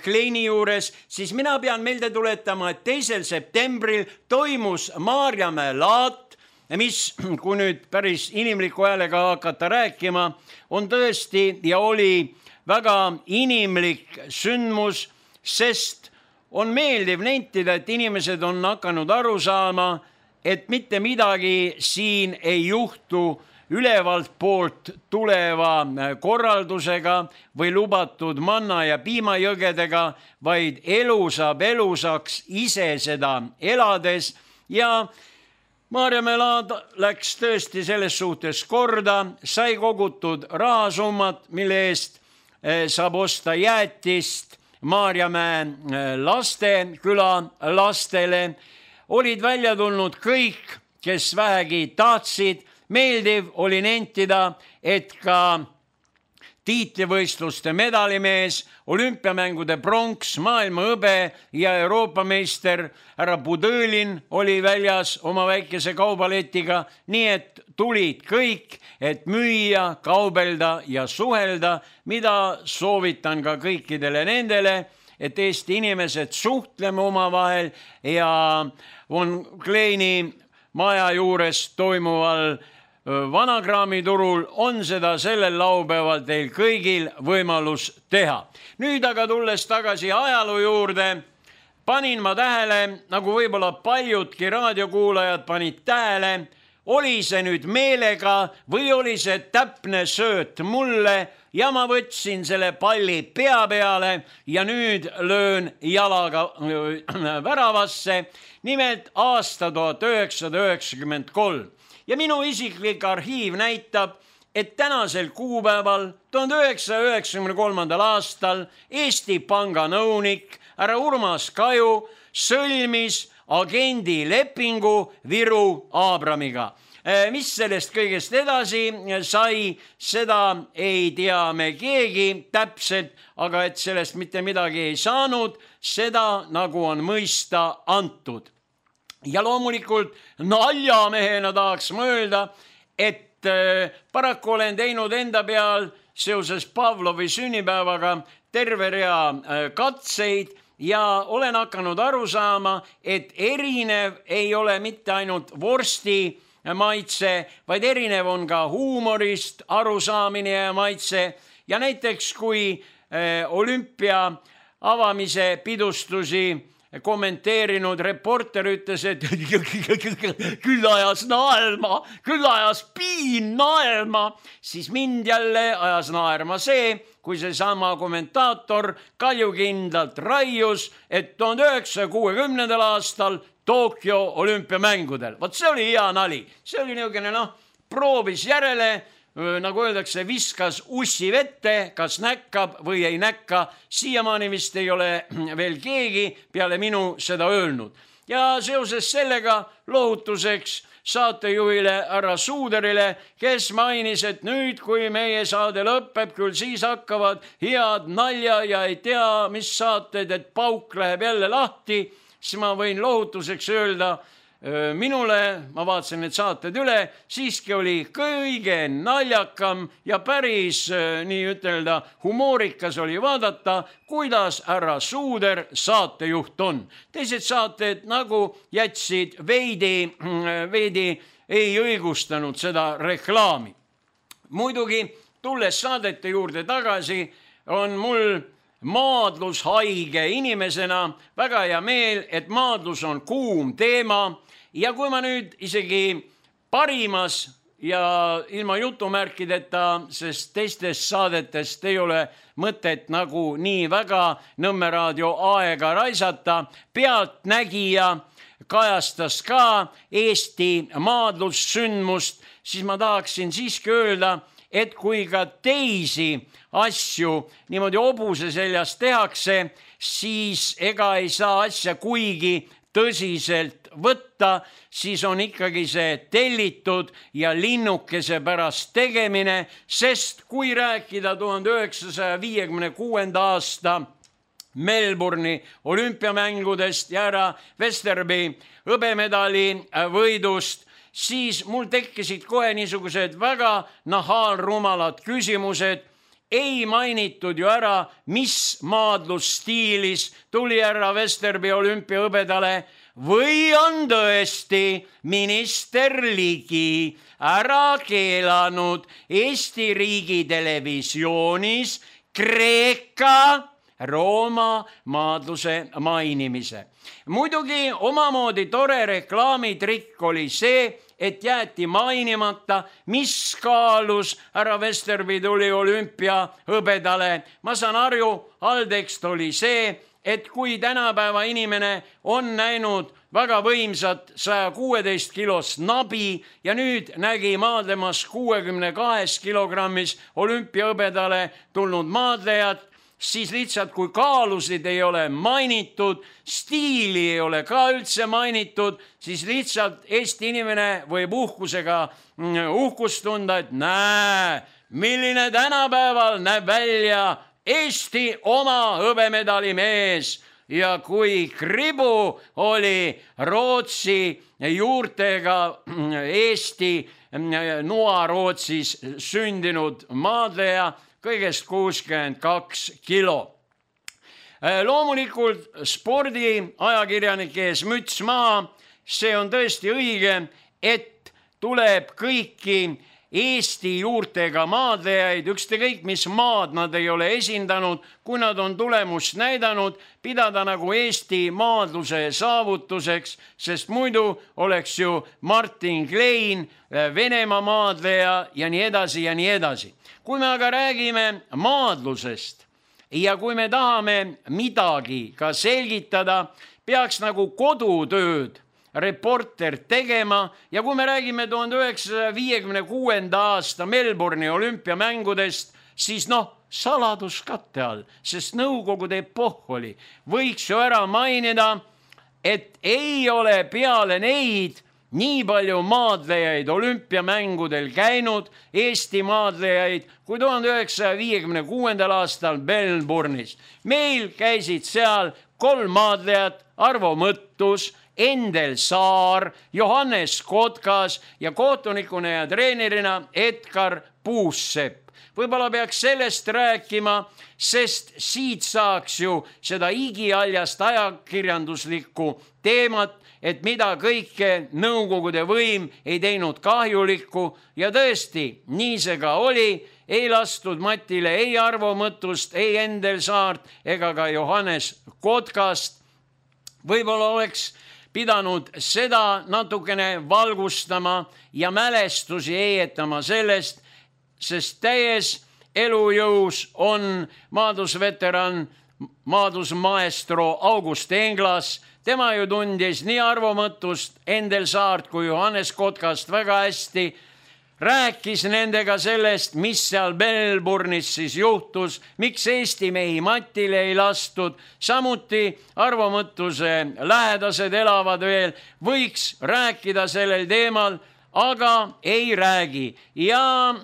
Kleini juures, siis mina pean meelde tuletama, et teisel septembril toimus Maarjamäe laat mis, kui nüüd päris inimliku häälega hakata rääkima, on tõesti ja oli väga inimlik sündmus, sest on meeldiv nentida, et inimesed on hakanud aru saama, et mitte midagi siin ei juhtu ülevalt poolt tuleva korraldusega või lubatud manna ja piimajõgedega, vaid elu saab elusaks ise seda elades ja Maarjamäe laad läks tõesti selles suhtes korda, sai kogutud rahasummat, mille eest saab osta jäätist Maarjamäe lasteküla lastele. Olid välja tulnud kõik, kes vähegi tahtsid. Meeldiv oli nentida, et ka tiitlivõistluste medalimees, olümpiamängude pronks, maailma hõbe ja Euroopa meister härra Budõlin oli väljas oma väikese kaubaletiga, nii et tulid kõik, et müüa, kaubelda ja suhelda, mida soovitan ka kõikidele nendele, et Eesti inimesed suhtleme omavahel ja Von Kleini maja juures toimuval Vanakraamiturul on seda sellel laupäeval teil kõigil võimalus teha. Nüüd aga tulles tagasi ajaloo juurde, panin ma tähele, nagu võib-olla paljudki raadiokuulajad panid tähele, oli see nüüd meelega või oli see täpne sööt mulle ja ma võtsin selle palli pea peale ja nüüd löön jalaga väravasse, nimelt aasta tuhat üheksasada üheksakümmend kolm. Ja minu isiklik arhiiv näitab, et tänasel kuupäeval tuhande üheksasaja üheksakümne kolmandal aastal Eesti Panga nõunik härra Urmas Kaju sõlmis agendi lepingu Viru Aabramiga. Mis sellest kõigest edasi sai, seda ei tea me keegi täpselt, aga et sellest mitte midagi ei saanud, seda nagu on mõista antud. Ja loomulikult naljamehena tahaks ma öelda, et paraku olen teinud enda peal seoses Pavlovi sünnipäevaga terve rea katseid ja olen hakanud aru saama, et erinev ei ole mitte ainult vorsti maitse, vaid erinev on ka huumorist arusaamine ja maitse. Ja näiteks kui olümpia avamise pidustusi kommenteerinud reporter ütles, et küll ajas naelma, küll ajas piin naelma, siis mind jälle ajas naerma see, kui see sama kommentaator kaljukindlalt raius, et tuhande üheksasaja kuuekümnendal aastal Tokyo olümpiamängudel. Vot see oli hea nali. See oli niisugune, noh, proovis järele, nagu öeldakse, viskas ussi vette, kas näkkab või ei näkka. Siiamaani vist ei ole veel keegi peale minu seda öelnud. Ja seoses sellega lohutuseks saatejuhile härra Suuderile, kes mainis, et nüüd, kui meie saade lõpeb, küll siis hakkavad head nalja ja ei tea, mis saated, et pauk läheb jälle lahti, siis ma võin lohutuseks öelda, minule, ma vaatasin need saated üle, siiski oli kõige naljakam ja päris nii ütelda humoorikas oli vaadata, kuidas härra Suuder saatejuht on. Teised saated nagu jätsid veidi, veidi ei õigustanud seda reklaami. Muidugi, tulles saadete juurde tagasi, on mul maadlushaige inimesena väga hea meel, et maadlus on kuum teema. Ja kui ma nüüd isegi parimas ja ilma jutumärkideta, sest teistest saadetest ei ole mõtet nagu nii väga Nõmme raadio aega raisata, pealtnägija kajastas ka Eesti maadlussündmust, siis ma tahaksin siiski öelda, et kui ka teisi asju niimoodi hobuse seljas tehakse, siis ega ei saa asja kuigi tõsiselt võtta, siis on ikkagi see tellitud ja linnukese pärast tegemine, sest kui rääkida tuhande üheksasaja viiekümne kuuenda aasta Melbourne'i olümpiamängudest ja härra Westerby hõbemedali võidust, siis mul tekkisid kohe niisugused väga nahaalrumalad küsimused. Ei mainitud ju ära, mis maadlusstiilis tuli härra Westerby olümpiahõbedale, või on tõesti minister Ligi ära keelanud Eesti riigi televisioonis Kreeka Rooma maadluse mainimise. Muidugi omamoodi tore reklaamitrikk oli see, et jäeti mainimata, mis kaalus härra Vesterby tuli olümpia hõbedale. Ma saan aru, alltekst oli see, et kui tänapäeva inimene on näinud väga võimsat saja kuueteist kilost nabi ja nüüd nägi maadlemas kuuekümne kahes kilogrammis olümpiahõbedale tulnud maadlejat, siis lihtsalt kui kaalusid ei ole mainitud, stiili ei ole ka üldse mainitud, siis lihtsalt Eesti inimene võib uhkusega uhkust tunda, et näe, milline tänapäeval näeb välja Eesti oma hõbemedali mees. Ja kui kribu oli Rootsi juurtega Eesti Noa-Rootsis sündinud maadleja, kõigest kuuskümmend kaks kilo. Loomulikult spordiajakirjanike ees müts maha, see on tõesti õige, et tuleb kõiki Eesti juurtega maadlejaid, ükskõik mis maad nad ei ole esindanud, kui nad on tulemust näidanud, pidada nagu Eesti maadluse saavutuseks, sest muidu oleks ju Martin Klein, Venemaa maadleja ja nii edasi ja nii edasi. Kui me aga räägime maadlusest ja kui me tahame midagi ka selgitada, peaks nagu kodutööd reporter tegema ja kui me räägime tuhande üheksasaja viiekümne kuuenda aasta Melbourne'i olümpiamängudest, siis noh, saladuskatte all, sest nõukogude epohh oli. Võiks ju ära mainida, et ei ole peale neid nii palju maadlejaid olümpiamängudel käinud, Eesti maadlejaid, kui tuhande üheksasaja viiekümne kuuendal aastal Melbourne'is. Meil käisid seal kolm maadlejat, Arvo Mõttus, Endel Saar, Johannes Kotkas ja kohtunikuna ja treenerina Edgar Puussepp. Võib-olla peaks sellest rääkima, sest siit saaks ju seda igialjast ajakirjanduslikku teemat, et mida kõike nõukogude võim ei teinud kahjulikku ja tõesti, nii see ka oli, ei lastud Matile ei Arvo Mõttust, ei Endel Saart ega ka Johannes Kotkast. Võib-olla oleks pidanud seda natukene valgustama ja mälestusi eietama sellest, sest täies elujõus on maadlusveteran, maadlusmaestro August Englas. Tema ju tundis nii Arvo Mõttust, Endel Saart kui Johannes Kotkast väga hästi. Rääkis nendega sellest, mis seal Melbourne'is siis juhtus, miks Eesti mehi Matile ei lastud. Samuti Arvo Mõttuse lähedased elavad veel, võiks rääkida sellel teemal, aga ei räägi. Ja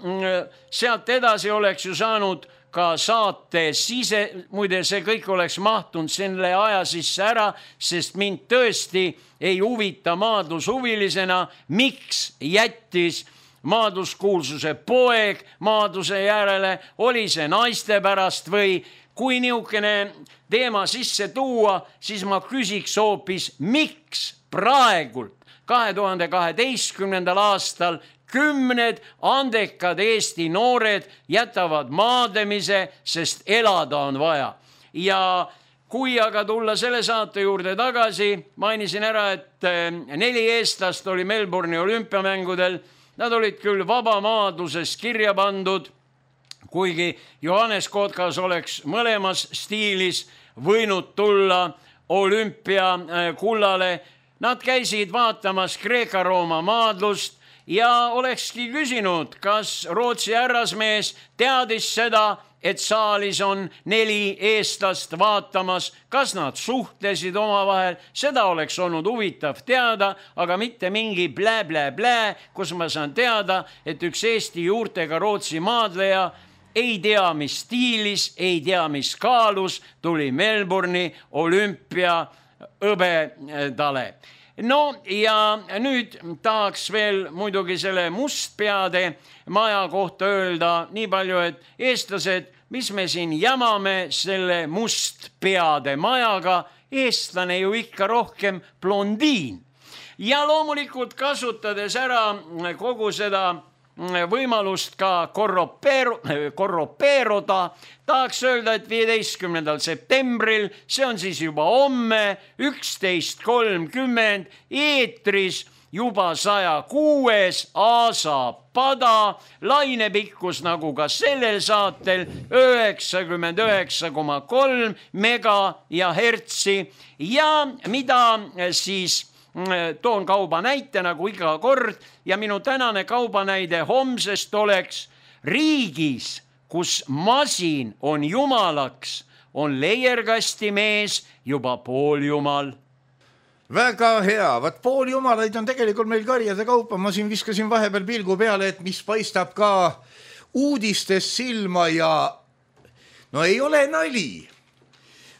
sealt edasi oleks ju saanud ka saate sise, muide see kõik oleks mahtunud selle aja sisse ära, sest mind tõesti ei huvita maadlushuvilisena, miks jättis maadluskuulsuse poeg maadluse järele, oli see naiste pärast või kui niisugune teema sisse tuua, siis ma küsiks hoopis, miks praegult kahe tuhande kaheteistkümnendal aastal kümned andekad Eesti noored jätavad maadlemise, sest elada on vaja. Ja kui aga tulla selle saate juurde tagasi, mainisin ära, et neli eestlast oli Melbourne'i olümpiamängudel. Nad olid küll vabamaadluses kirja pandud, kuigi Johannes Kotkas oleks mõlemas stiilis võinud tulla olümpiakullale. Nad käisid vaatamas Kreeka-Rooma maadlust ja olekski küsinud, kas Rootsi härrasmees teadis seda, et saalis on neli eestlast vaatamas, kas nad suhtlesid omavahel, seda oleks olnud huvitav teada, aga mitte mingi blä-blä-blä, kus ma saan teada, et üks Eesti juurtega Rootsi maadleja ei tea, mis stiilis, ei tea, mis kaalus, tuli Melbourne'i olümpia hõbedale. No ja nüüd tahaks veel muidugi selle Mustpeade maja kohta öelda nii palju, et eestlased, mis me siin jamame selle Mustpeade majaga, eestlane ju ikka rohkem blondiin. Ja loomulikult kasutades ära kogu seda võimalust ka korropeeru, korropeeruda, tahaks öelda, et viieteistkümnendal septembril, see on siis juba homme, üksteist kolmkümmend, eetris juba saja kuues Aasa pada, lainepikkus nagu ka sellel saatel üheksakümmend üheksa koma kolm mega ja hertsi ja mida siis toon kauba näite nagu iga kord ja minu tänane kaubanäide homsest oleks riigis, kus masin on jumalaks, on leierkastimees juba pooljumal. Väga hea, vaat pooljumalaid on tegelikult meil karjade kaupa, ma siin viskasin vahepeal pilgu peale, et mis paistab ka uudistes silma ja no ei ole nali.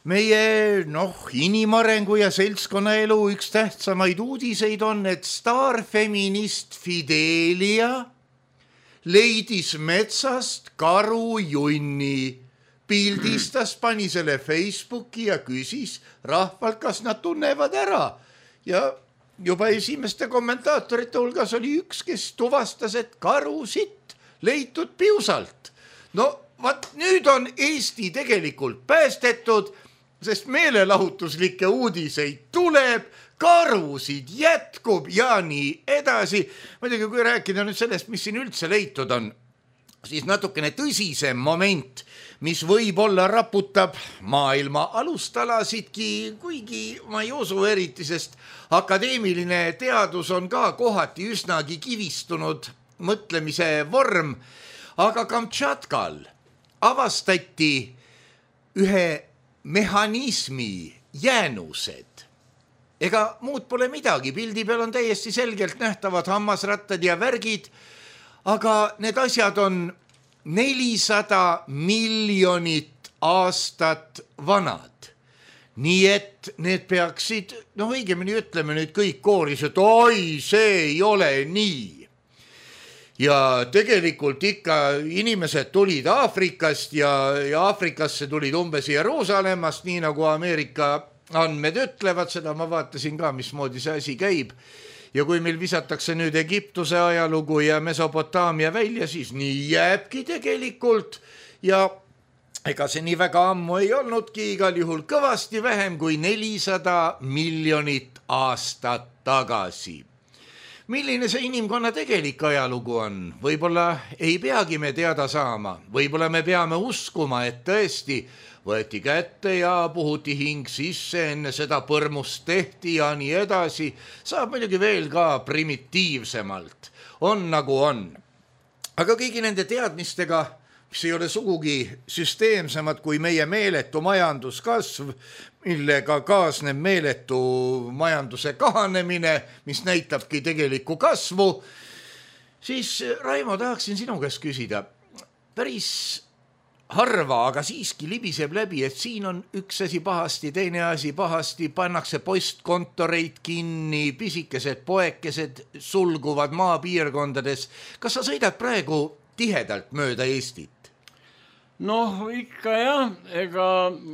Meie noh, inimarengu ja seltskonnaelu üks tähtsamaid uudiseid on, et staarfeminist Fidelia leidis metsast karu junni, pildistas, pani selle Facebooki ja küsis rahvalt, kas nad tunnevad ära. Ja juba esimeste kommentaatorite hulgas oli üks, kes tuvastas, et karu sitt leitud piusalt. No vaat nüüd on Eesti tegelikult päästetud, sest meelelahutuslikke uudiseid tuleb, karusid jätkub ja nii edasi. Muidugi, kui rääkida nüüd sellest, mis siin üldse leitud on, siis natukene tõsisem moment, mis võib-olla raputab maailma alustalasidki, kuigi ma ei usu eriti, sest akadeemiline teadus on ka kohati üsnagi kivistunud mõtlemise vorm, aga Kamtšatkal avastati ühe mehhanismi jäänused. Ega muud pole midagi, pildi peal on täiesti selgelt nähtavad hammasrattad ja värgid, aga need asjad on nelisada miljonit aastat vanad. Nii et need peaksid, noh õigemini ütleme nüüd kõik kooris, et oi, see ei ole nii. Ja tegelikult ikka inimesed tulid Aafrikast ja, ja Aafrikasse tulid umbes Jeruusalemmast, nii nagu Ameerika andmed ütlevad, seda ma vaatasin ka, mismoodi see asi käib. Ja kui meil visatakse nüüd Egiptuse ajalugu ja Mesopotaamia välja, siis nii jääbki tegelikult ja ega see nii väga ammu ei olnudki, igal juhul kõvasti vähem kui nelisada miljonit aastat tagasi. Milline see inimkonna tegelik ajalugu on? Võib-olla ei peagi me teada saama, võib-olla me peame uskuma, et tõesti võeti kätte ja puhuti hing sisse, enne seda põrmust tehti ja nii edasi. Saab muidugi veel ka primitiivsemalt. On nagu on. Aga kõigi nende teadmistega, mis ei ole sugugi süsteemsemad kui meie meeletu majanduskasv, millega kaasneb meeletu majanduse kahanemine, mis näitabki tegelikku kasvu, siis Raimo, tahaksin sinu käest küsida. Päris harva, aga siiski libiseb läbi, et siin on üks asi pahasti, teine asi pahasti, pannakse postkontoreid kinni, pisikesed poekesed sulguvad maapiirkondades. Kas sa sõidad praegu tihedalt mööda Eestit? Noh, ikka jah, ega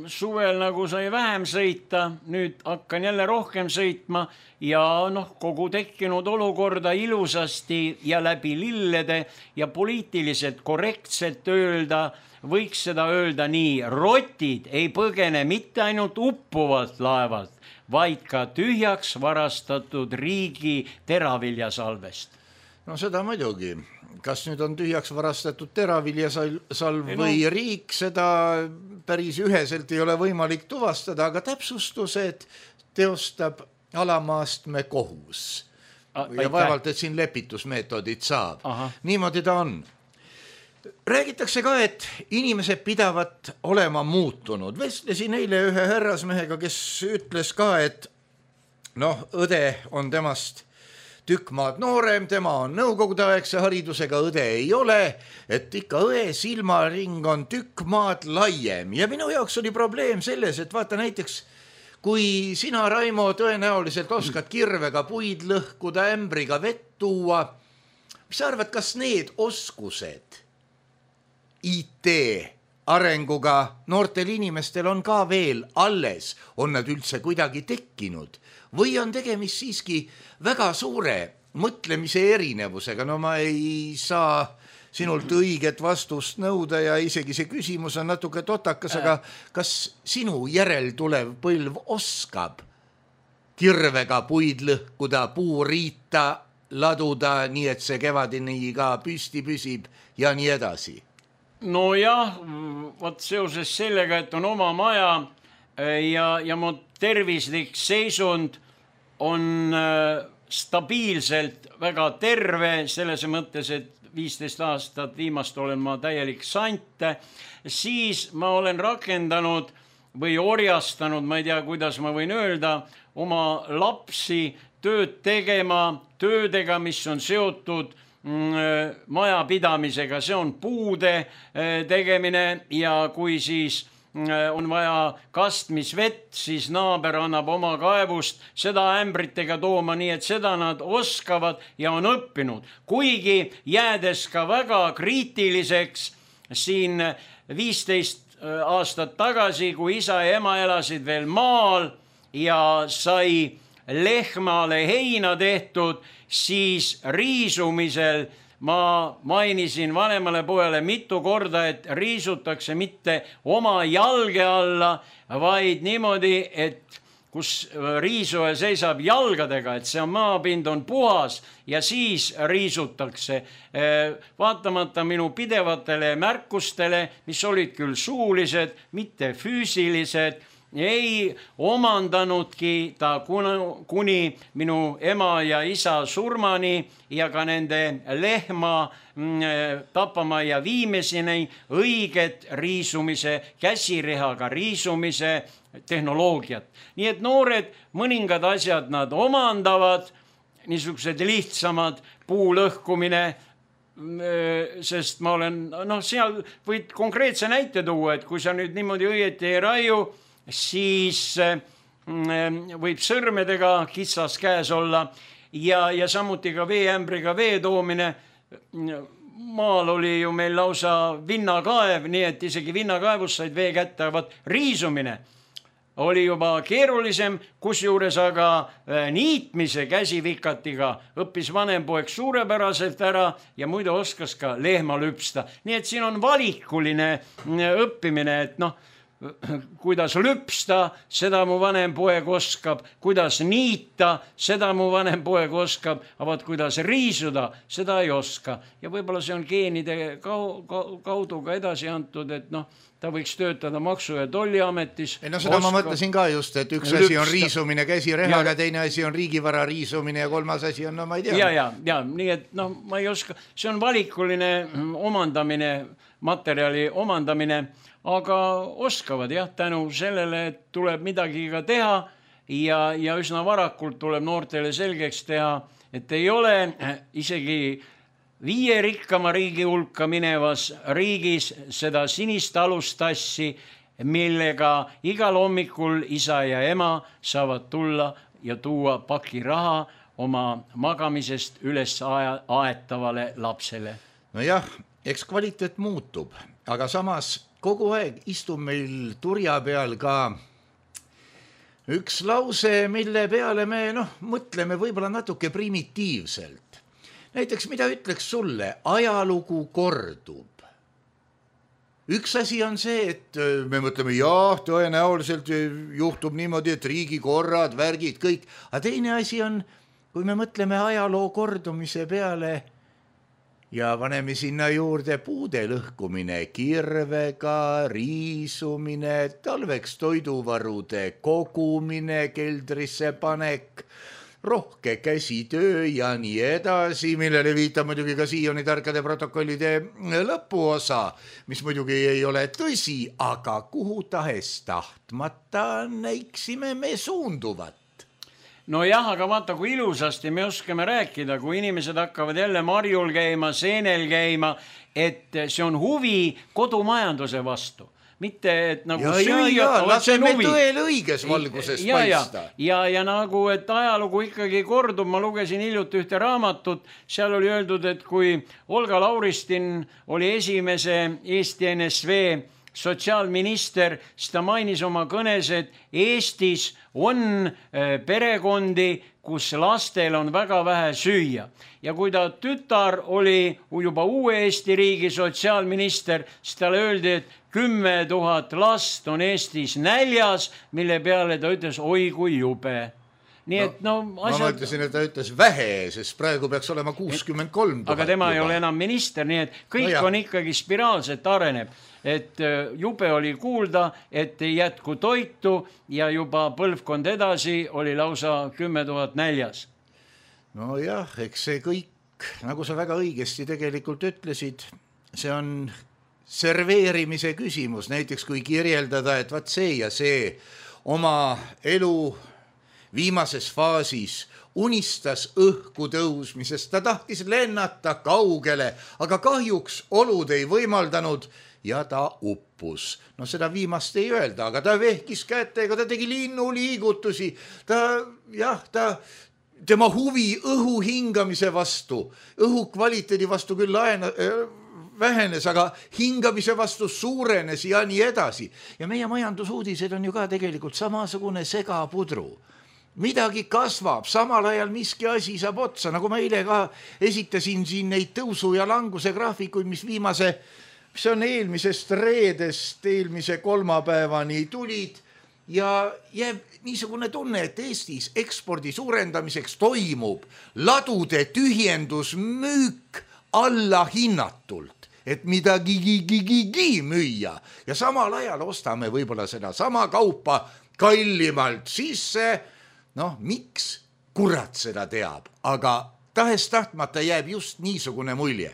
suvel nagu sai vähem sõita, nüüd hakkan jälle rohkem sõitma ja noh, kogu tekkinud olukorda ilusasti ja läbi lillede ja poliitiliselt korrektselt öelda, võiks seda öelda nii, rotid ei põgene mitte ainult uppuvalt laevalt, vaid ka tühjaks varastatud riigi teraviljasalvest. No seda muidugi. Kas nüüd on tühjaks varastatud teraviljasalv või riik, seda päris üheselt ei ole võimalik tuvastada, aga täpsustused teostab alamaastme kohus. Ja vaevalt, et siin lepitusmeetodid saab. Aha. Niimoodi ta on. Räägitakse ka, et inimesed pidavat olema muutunud. Vestlesin eile ühe härrasmehega, kes ütles ka, et noh, õde on temast tükk maad noorem, tema on nõukogudeaegse haridusega, õde ei ole, et ikka õe silmaring on tükk maad laiem. Ja minu jaoks oli probleem selles, et vaata näiteks, kui sina, Raimo, tõenäoliselt oskad kirvega puid lõhkuda, ämbriga vett tuua, mis sa arvad, kas need oskused I T arenguga noortel inimestel on ka veel alles, on nad üldse kuidagi tekkinud või on tegemist siiski väga suure mõtlemise erinevusega? No ma ei saa sinult õiget vastust nõuda ja isegi see küsimus on natuke totakas, aga kas sinu järel tulev põlv oskab kirvega puid lõhkuda, puuriita laduda, nii et see kevadini ka püsti püsib ja nii edasi? No jah, võt seoses sellega, et on oma maja ja, ja mu tervislik seisund on stabiilselt väga terve, selles mõttes, et viisteist aastat viimast olen ma täielik sant, siis ma olen rakendanud või orjastanud, ma ei tea, kuidas ma võin öelda, oma lapsi tööd tegema, töödega, mis on seotud majapidamisega, see on puude tegemine ja kui siis on vaja kastmisvett, siis naaber annab oma kaevust seda ämbritega tooma, nii et seda nad oskavad ja on õppinud. Kuigi jäädes ka väga kriitiliseks siin viisteist aastat tagasi, kui isa ja ema elasid veel maal ja sai lehmale heina tehtud, siis riisumisel ma mainisin vanemale pojale mitu korda, et riisutakse mitte oma jalge alla, vaid niimoodi, et kus riisuja seisab jalgadega, et see maapind on puhas ja siis riisutakse. Vaatamata minu pidevatele märkustele, mis olid küll suulised, mitte füüsilised, ei omandanudki ta kuni minu ema ja isa surmani ja ka nende lehma tapama ja viimeseni õiget riisumise, käsirehaga riisumise tehnoloogiat. Nii et noored mõningad asjad nad omandavad, niisugused lihtsamad, puu lõhkumine, sest ma olen, noh, seal võid konkreetse näite tuua, et kui sa nüüd niimoodi õieti ei raiu, siis võib sõrmedega kitsas käes olla ja, ja samuti ka veeämbriga vee toomine. Maal oli ju meil lausa vinnakaev, nii et isegi vinnakaevus said vee kätte, vaat riisumine oli juba keerulisem, kusjuures aga niitmise käsivikatiga õppis vanem poeg suurepäraselt ära ja muide oskas ka lehma lüpsta. Nii et siin on valikuline õppimine, et noh, kuidas lüpsta, seda mu vanem poeg oskab, kuidas niita, seda mu vanem poeg oskab, aga kuidas riisuda, seda ei oska. Ja võib-olla see on geenide kaudu ka edasi antud, et noh, ta võiks töötada Maksu- ja Tolliametis. Ei, no seda oskab, ma mõtlesin ka just, et üks lüpsta. Asi on riisumine käsirehaga, teine asi on riigivara riisumine ja kolmas asi on, no ma ei tea. Ja, ja, ja, nii et noh, ma ei oska, see on valikuline omandamine, materjali omandamine, aga oskavad jah, tänu sellele, et tuleb midagi ka teha ja, ja üsna varakult tuleb noortele selgeks teha, et ei ole isegi viie rikkama riigi hulka minevas riigis seda sinist alustassi, millega igal hommikul isa ja ema saavad tulla ja tuua paki raha oma magamisest üles aetavale lapsele. No jah, eks kvaliteet muutub, aga samas kogu aeg istub meil turja peal ka üks lause, mille peale me noh, mõtleme võib-olla natuke primitiivselt. Näiteks, mida ütleks sulle? Ajalugu kordub. Üks asi on see, et me mõtleme, jah, tõenäoliselt juhtub niimoodi, et riigikorrad, värgid, kõik. Aga teine asi on, kui me mõtleme ajaloo kordumise peale ja paneme sinna juurde puude lõhkumine, kirvega, riisumine, talveks toiduvarude kogumine, keldrisse panek, rohke käsitöö ja nii edasi, millele viitab muidugi ka siiani tarkade protokollide lõpuosa, mis muidugi ei ole tõsi, aga kuhu tahes tahtmata näiksime me suunduvat. No jah, aga vaata, kui ilusasti me oskame rääkida, kui inimesed hakkavad jälle marjul käima, seenel käima, et see on huvi kodumajanduse vastu. Mitte, et nagu ja, süüa, ja, ja, laseme tõele õiges valguses ja, paista. Ja, ja, ja nagu, et ajalugu ikkagi kordub, ma lugesin hiljuti ühte raamatut, seal oli öeldud, et kui Olga Lauristin oli esimese Eesti N S V sotsiaalminister, siis ta mainis oma kõnes, et Eestis on perekondi, kus lastel on väga vähe süüa. Ja kui ta tütar oli juba uue Eesti riigi sotsiaalminister, siis talle öeldi, et kümme tuhat last on Eestis näljas, mille peale ta ütles, oi kui jube. Nii et no, no asjad... ma ütlesin, et ta ütles vähe, sest praegu peaks olema kuuskümmend kolm tuhat. Aga tema juba ei ole enam minister, nii et kõik no on ikkagi spiraalselt areneb. Et jube oli kuulda, et ei jätku toitu ja juba põlvkond edasi oli lausa kümme tuhat näljas. No jah, eks see kõik, nagu sa väga õigesti tegelikult ütlesid, see on serveerimise küsimus. Näiteks kui kirjeldada, et vaat see ja see oma elu viimases faasis unistas õhku tõusmisest, ta tahtis lennata kaugele, aga kahjuks olud ei võimaldanud ja ta uppus. No seda viimast ei öelda, aga ta vehkis kätega, ta tegi linnuliigutusi, ta, jah, ta, tema huvi õhu hingamise vastu, õhu kvaliteedi vastu küll laena, vähenes, aga hingamise vastu suurenes ja nii edasi. Ja meie majandusuudised on ju ka tegelikult samasugune segapudru. Midagi kasvab, samal ajal miski asi saab otsa, nagu ma eile ka esitasin siin neid tõusu ja languse graafikuid, mis viimase, mis on eelmisest reedest, eelmise kolmapäevani tulid ja jääb niisugune tunne, et Eestis ekspordi suurendamiseks toimub ladude tühjendus müük alla hinnatult, et midagi gigi müüa ja samal ajal ostame võib-olla seda sama kaupa kallimalt sisse. Noh, miks kurat seda teab, aga tahes tahtmata jääb just niisugune mulje.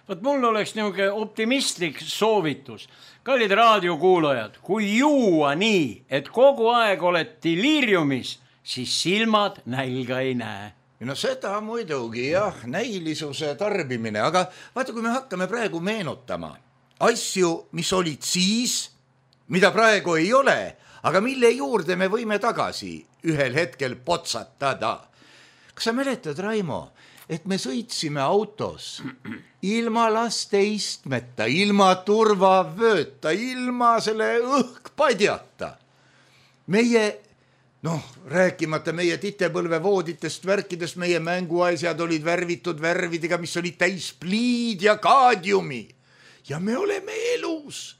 Võt mul oleks niisugune optimistlik soovitus. Kallid raadiokuulajad, kui juua nii, et kogu aeg oled deliriumis, siis silmad nälga ei näe. No seda muidugi jah, näilisuse tarbimine, aga vaata, kui me hakkame praegu meenutama asju, mis olid siis, mida praegu ei ole, aga mille juurde me võime tagasi ühel hetkel potsatada. Kas sa mäletad, Raimo, et me sõitsime autos ilma laste istmeta, ilma turvavööta, ilma selle õhkpadjata. Meie, noh, rääkimata meie titepõlvevooditest, värkidest, meie mänguasjad olid värvitud värvidega, mis olid täis pliid ja kaadiumi. Ja me oleme elus.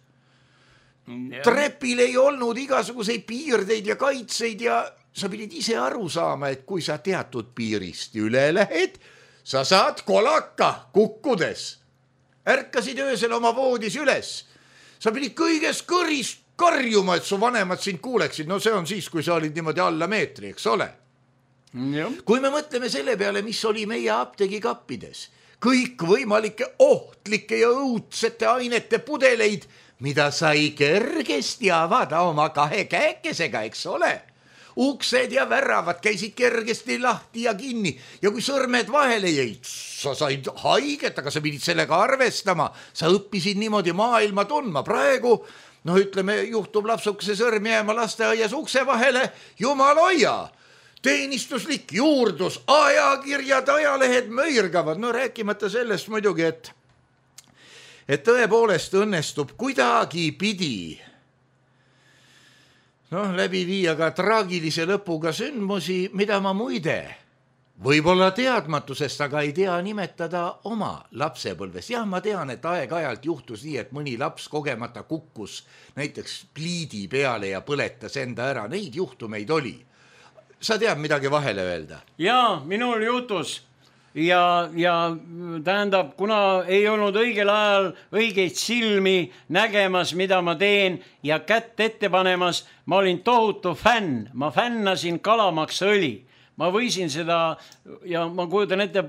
Trepil ei olnud igasuguseid piirdeid ja kaitseid ja sa pidid ise aru saama, et kui sa teatud piirist üle lähed, sa saad kolaka kukkudes. Ärkasid öösel oma voodis üles. Sa pidid kõiges kõrist karjuma, et su vanemad sind kuuleksid. No see on siis, kui sa olid niimoodi alla meetri, eks ole? Ja. Kui me mõtleme selle peale, mis oli meie apteegikappides, kõik võimalike ohtlike ja õudsete ainete pudeleid, mida sai kergesti avada oma kahe käekesega, eks ole? Uksed ja väravad käisid kergesti lahti ja kinni ja kui sõrmed vahele jäid, sa said haiget, aga sa pidid sellega arvestama. Sa õppisid niimoodi maailma tundma. Praegu, no ütleme, juhtub lapsukese sõrm jääma lasteaias ukse vahele, jumal hoia. Teenistuslik juurdus, ajakirjad, ajalehed möirgavad. No rääkimata sellest muidugi, et et tõepoolest õnnestub kuidagi pidi noh, läbi viia ka traagilise lõpuga sündmusi, mida ma muide võib-olla teadmatusest, aga ei tea nimetada oma lapsepõlves. Jah, ma tean, et aeg-ajalt juhtus nii, et mõni laps kogemata kukkus näiteks pliidi peale ja põletas enda ära. Neid juhtumeid oli. Sa tead midagi vahele öelda? Jaa, minul juhtus. Ja, ja tähendab, kuna ei olnud õigel ajal õigeid silmi nägemas, mida ma teen ja kätt ette panemas, ma olin tohutu fänn. Ma fännasin kalamaksõli. Ma võisin seda ja ma kujutan ette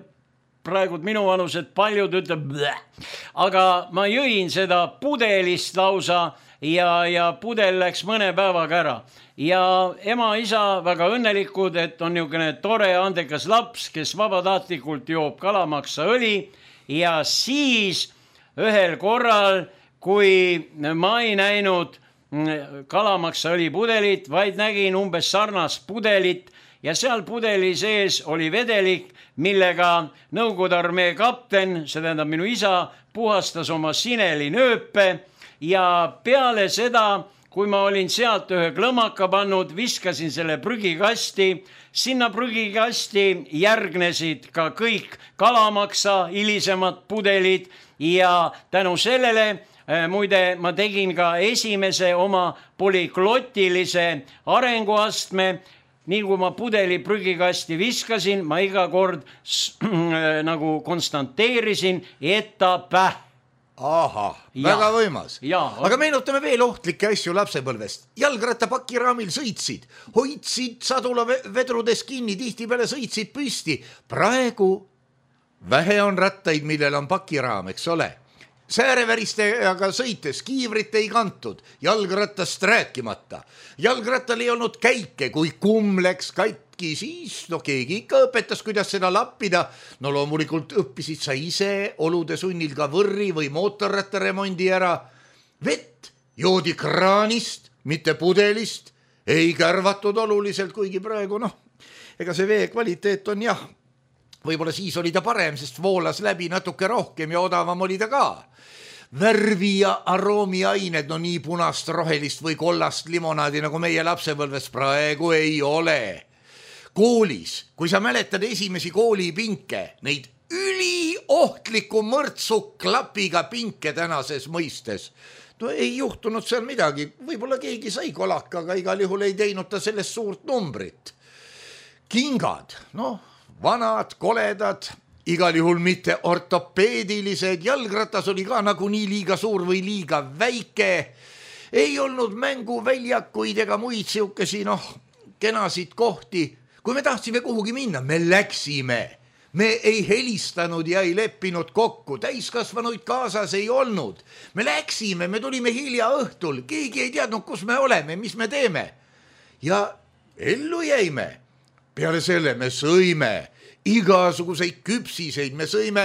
praegu minu vanused paljud ütleb bleh. Aga ma jõin seda pudelist lausa ja, ja pudel läks mõne päevaga ära. Ja ema, isa väga õnnelikud, et on niisugune tore andekas laps, kes vabatahtlikult joob kalamaksaõli ja siis ühel korral, kui ma ei näinud kalamaksaõli pudelit, vaid nägin umbes sarnast pudelit ja seal pudeli sees oli vedelik, millega Nõukogude armee kapten, see tähendab minu isa, puhastas oma sineli nööpe ja peale seda, kui ma olin sealt ühe klõmaka pannud, viskasin selle prügikasti, sinna prügikasti järgnesid ka kõik kalamaksa hilisemad pudelid ja tänu sellele muide, ma tegin ka esimese oma polüglottilise arenguastme. Nii kui ma pudeli prügikasti viskasin, ma iga kord nagu konstanteerisin, et ta päh. Aha, väga võimas. Ja. Aga meenutame veel ohtlikke asju lapsepõlvest. Jalgratta pakiraamil sõitsid, hoidsid sadula vedrudes kinni, tihti peale sõitsid püsti. Praegu vähe on rattaid, millel on pakiraam, eks ole. Sääreväristega sõites kiivrit ei kantud, jalgrattast rääkimata. Jalgrattal ei olnud käike, kui kumm läks katki, siis no keegi ikka õpetas, kuidas seda lappida. No loomulikult õppisid sa ise olude sunnil ka võrri või mootorrattaremondi ära. Vett joodi kraanist, mitte pudelist, ei kärvatud oluliselt, kuigi praegu noh, ega see vee kvaliteet on jah. Võib-olla siis oli ta parem, sest voolas läbi natuke rohkem ja odavam oli ta ka. Värvi ja aroomiained, no nii punast, rohelist või kollast limonaadi, nagu meie lapsepõlves praegu ei ole. Koolis, kui sa mäletad esimesi koolipinke, neid üliohtliku mõrtsuklapiga pinke tänases mõistes, no ei juhtunud seal midagi. Võib-olla keegi sai kolaka, aga igal juhul ei teinud ta sellest suurt numbrit. Kingad, noh, vanad, koledad, igal juhul mitte ortopeedilised, jalgratas oli ka nagu nii liiga suur või liiga väike. Ei olnud mänguväljakuid ega muid siukesi, noh, kenasid kohti. Kui me tahtsime kuhugi minna, me läksime. Me ei helistanud ja ei leppinud kokku, täiskasvanuid kaasas ei olnud. Me läksime, me tulime hilja õhtul, keegi ei teadnud, kus me oleme, mis me teeme. Ja ellu jäime. Peale selle me sõime igasuguseid küpsiseid, me sõime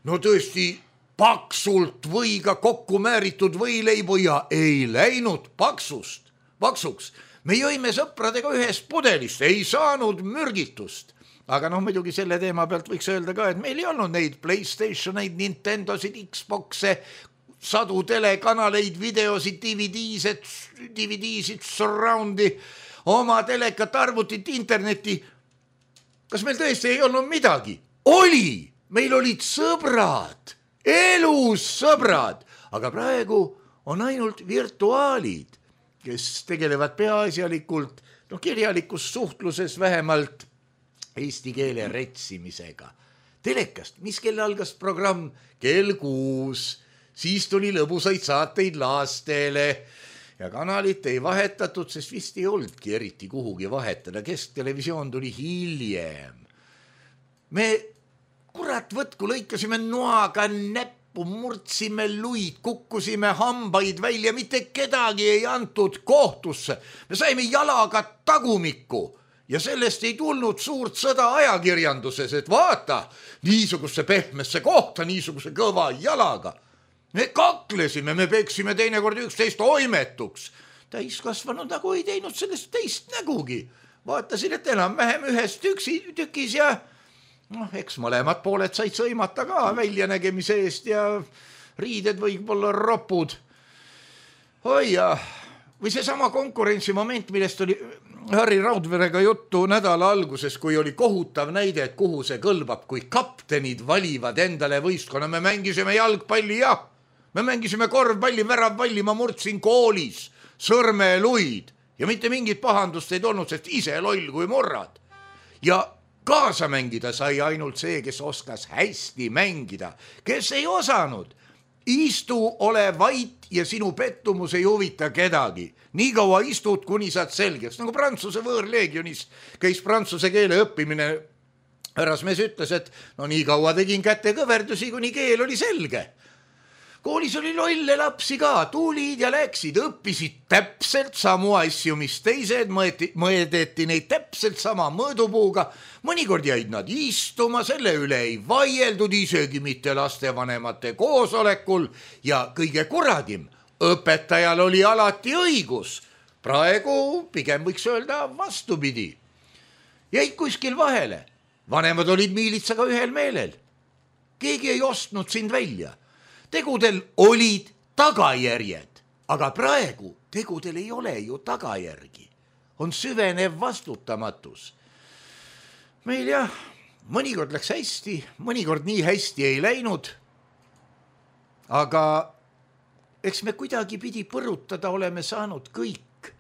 no tõesti paksult võiga kokku määritud võileibu ja ei läinud paksust, paksuks. Me jõime sõpradega ühest pudelist, ei saanud mürgitust. Aga noh, muidugi selle teema pealt võiks öelda ka, et meil ei olnud neid PlayStationeid, Nintendosid, Xboxe, sadu telekanaleid, videosid, D V D-sid, D V D-sid, surroundi, oma telekat, arvutit, interneti. Kas meil tõesti ei olnud midagi? Oli! Meil olid sõbrad, elus sõbrad, aga praegu on ainult virtuaalid, kes tegelevad peaasjalikult, no kirjalikus suhtluses vähemalt eesti keele retsimisega. Telekast, mis kell algas programm? Kell kuus, siis tuli lõbusaid saateid lastele ja kanalit ei vahetatud, sest vist ei oldki eriti kuhugi vahetada. Kesktelevisioon tuli hiljem. Me kurat võtku lõikasime noaga näppu, murdsime luid, kukkusime hambaid välja, mitte kedagi ei antud kohtusse. Me saime jalaga tagumikku ja sellest ei tulnud suurt sõda ajakirjanduses, et vaata, niisuguse pehmesse kohta, niisuguse kõva jalaga. Me kaklesime, me peksime teinekord üksteist oimetuks. Täiskasvanud nagu ei teinud sellest teist nägugi. Vaatasin, et enam-vähem ühes tüksi, tükis ja noh, eks mõlemad pooled said sõimata ka väljanägemise eest ja riided võib-olla ropud. Oi ja, või see sama konkurentsimoment, millest oli Harri Raudverega juttu nädala alguses, kui oli kohutav näide, et kuhu see kõlbab, kui kaptenid valivad endale võistkonna. Me mängisime jalgpalli, jah. Me mängisime korvpalli, väravpalli, ma murdsin koolis sõrmeluid ja mitte mingit pahandust ei tulnud, sest ise loll kui murrad. Ja kaasa mängida sai ainult see, kes oskas hästi mängida, kes ei osanud. Istu, ole vait ja sinu pettumus ei huvita kedagi. Nii kaua istud, kuni saad selgeks. Nagu Prantsuse võõrleegionis käis prantsuse keele õppimine. Härrasmees ütles, et no nii kaua tegin kätte kõverdusi, kuni keel oli selge. Koolis oli lolle lapsi ka, tulid ja läksid, õppisid täpselt samu asju, mis teised, mõeti, mõedeti neid täpselt sama mõõdupuuga. Mõnikord jäid nad istuma, selle üle ei vaieldud isegi mitte lastevanemate koosolekul ja kõige kuradim, õpetajal oli alati õigus. Praegu pigem võiks öelda vastupidi. Jäid kuskil vahele, vanemad olid miilitsaga ühel meelel. Keegi ei ostnud sind välja. Tegudel olid tagajärjed, aga praegu tegudel ei ole ju tagajärgi, on süvenev vastutamatus. Meil jah, mõnikord läks hästi, mõnikord nii hästi ei läinud, aga eks me kuidagi pidi põrutada oleme saanud kõik,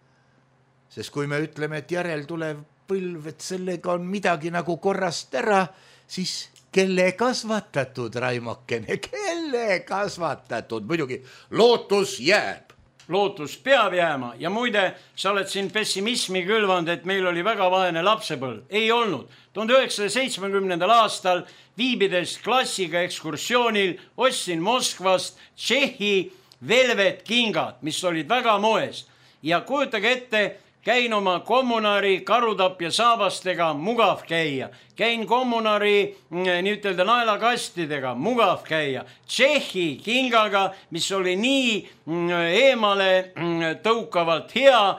sest kui me ütleme, et järel tulev põlv, et sellega on midagi nagu korrast ära, siis kelle kasvatatud, Raimokene, kelle kasvatatud, muidugi lootus jääb. Lootus peab jääma ja muide, sa oled siin pessimismi külvanud, et meil oli väga vaene lapsepõlv. Ei olnud. tuhande üheksasaja seitsmekümnendal aastal viibides klassiga ekskursioonil ostsin Moskvast Tšehhi Velvet kingad, mis olid väga moes. Ja kujutage ette, käin oma kommunari karutapja saabastega, mugav käia. Käin kommunari nii ütelda naelakastidega, mugav käia. Tšehhi kingaga, mis oli nii eemale tõukavalt hea,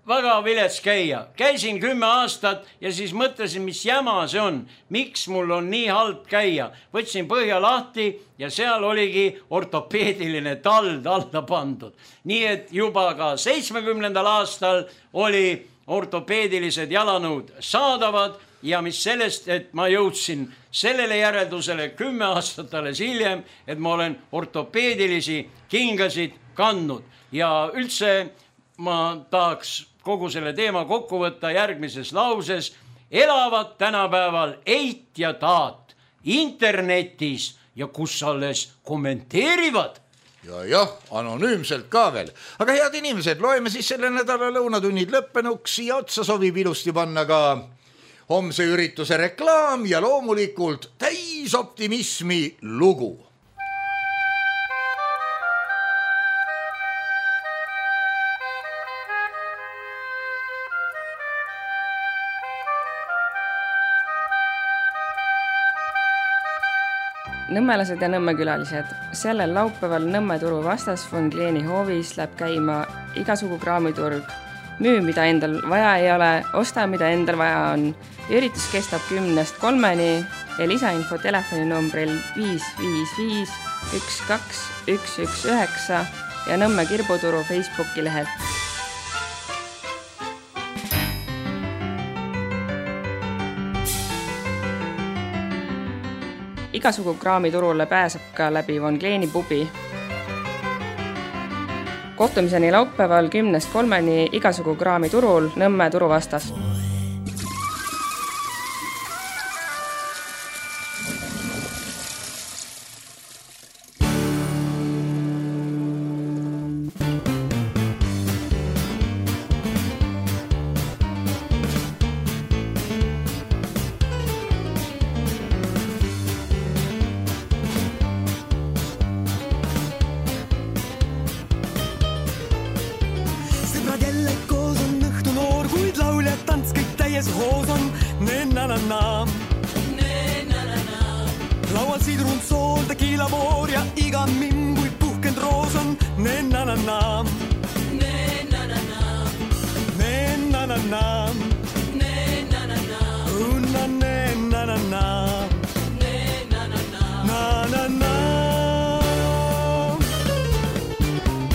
väga vilets käia. Käisin kümme aastat ja siis mõtlesin, mis jäma see on. Miks mul on nii halb käia? Võtsin põhja lahti ja seal oligi ortopeediline tald alla pandud. Nii et juba ka seitsmekümnendal aastal oli ortopeedilised jalanõud saadavad ja mis sellest, et ma jõudsin sellele järeldusele kümme aastat alles hiljem, et ma olen ortopeedilisi kingasid kandnud. Ja üldse ma tahaks kogu selle teema kokku võtta järgmises lauses. Elavad tänapäeval eit ja taat internetis ja kus alles kommenteerivad. Ja jah, anonüümselt ka veel. Aga head inimesed, loeme siis selle nädala lõunatunnid lõppenuks ja otsa sobib ilusti panna ka homse ürituse reklaam ja loomulikult täis optimismi lugu. Nõmmelased ja nõmmekülalised. Sellel laupäeval Nõmme turu vastas von Kleeni hoovis läheb käima igasugu kraamiturg. Müü, mida endal vaja ei ole, osta, mida endal vaja on. Üritus kestab kümnest kolmeni ja lisainfo telefoninumbril viis viis viis üks kaks üks üks üheksa ja Nõmme Kirbuturu Facebooki lehelt. Igasugu kraamiturule pääseb ka läbi von Kleeni pubi. Kohtumiseni laupäeval kümnest kolmeni igasugu kraamiturul Nõmme turu vastas. Laual sidrun sool, tequila voor ja iga mimm kui puhkend roos on. Ne-na-na-na Ne-na-na-na Ne-na-na-na Ne-na-na-na Unna ne-na-na-na Ne-na-na-na Na-na-na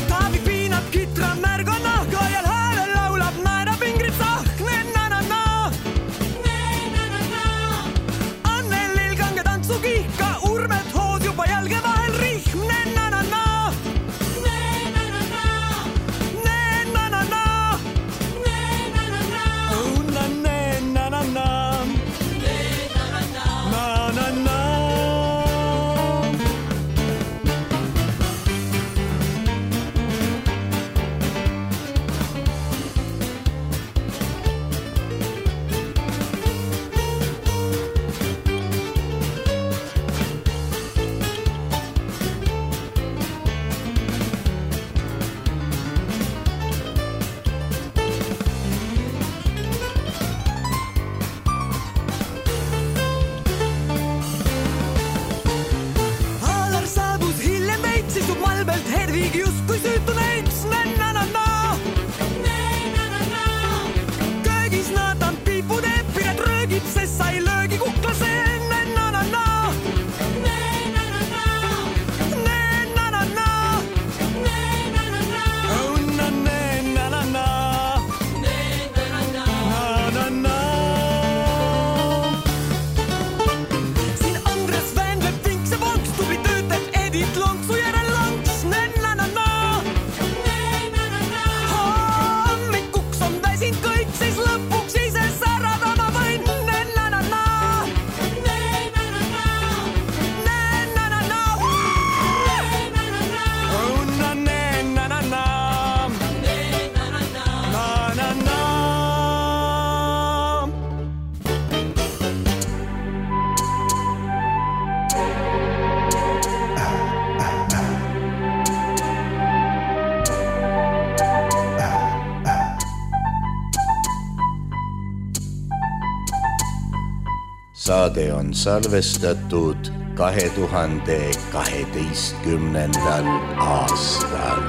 Taavik piinab kitra märga nahka ja häälel laulab naera pingrid sahk. Ne-na-na-na Ne-na-na-na Annelil kange tantsu kihka urmet hoos juba jälge vahel rihm. Ne-na-na-na Ne-na-na-na Ne-na-na-na Ne-na-na-na saade on salvestatud kahe tuhande kaheteistkümnendal aastal.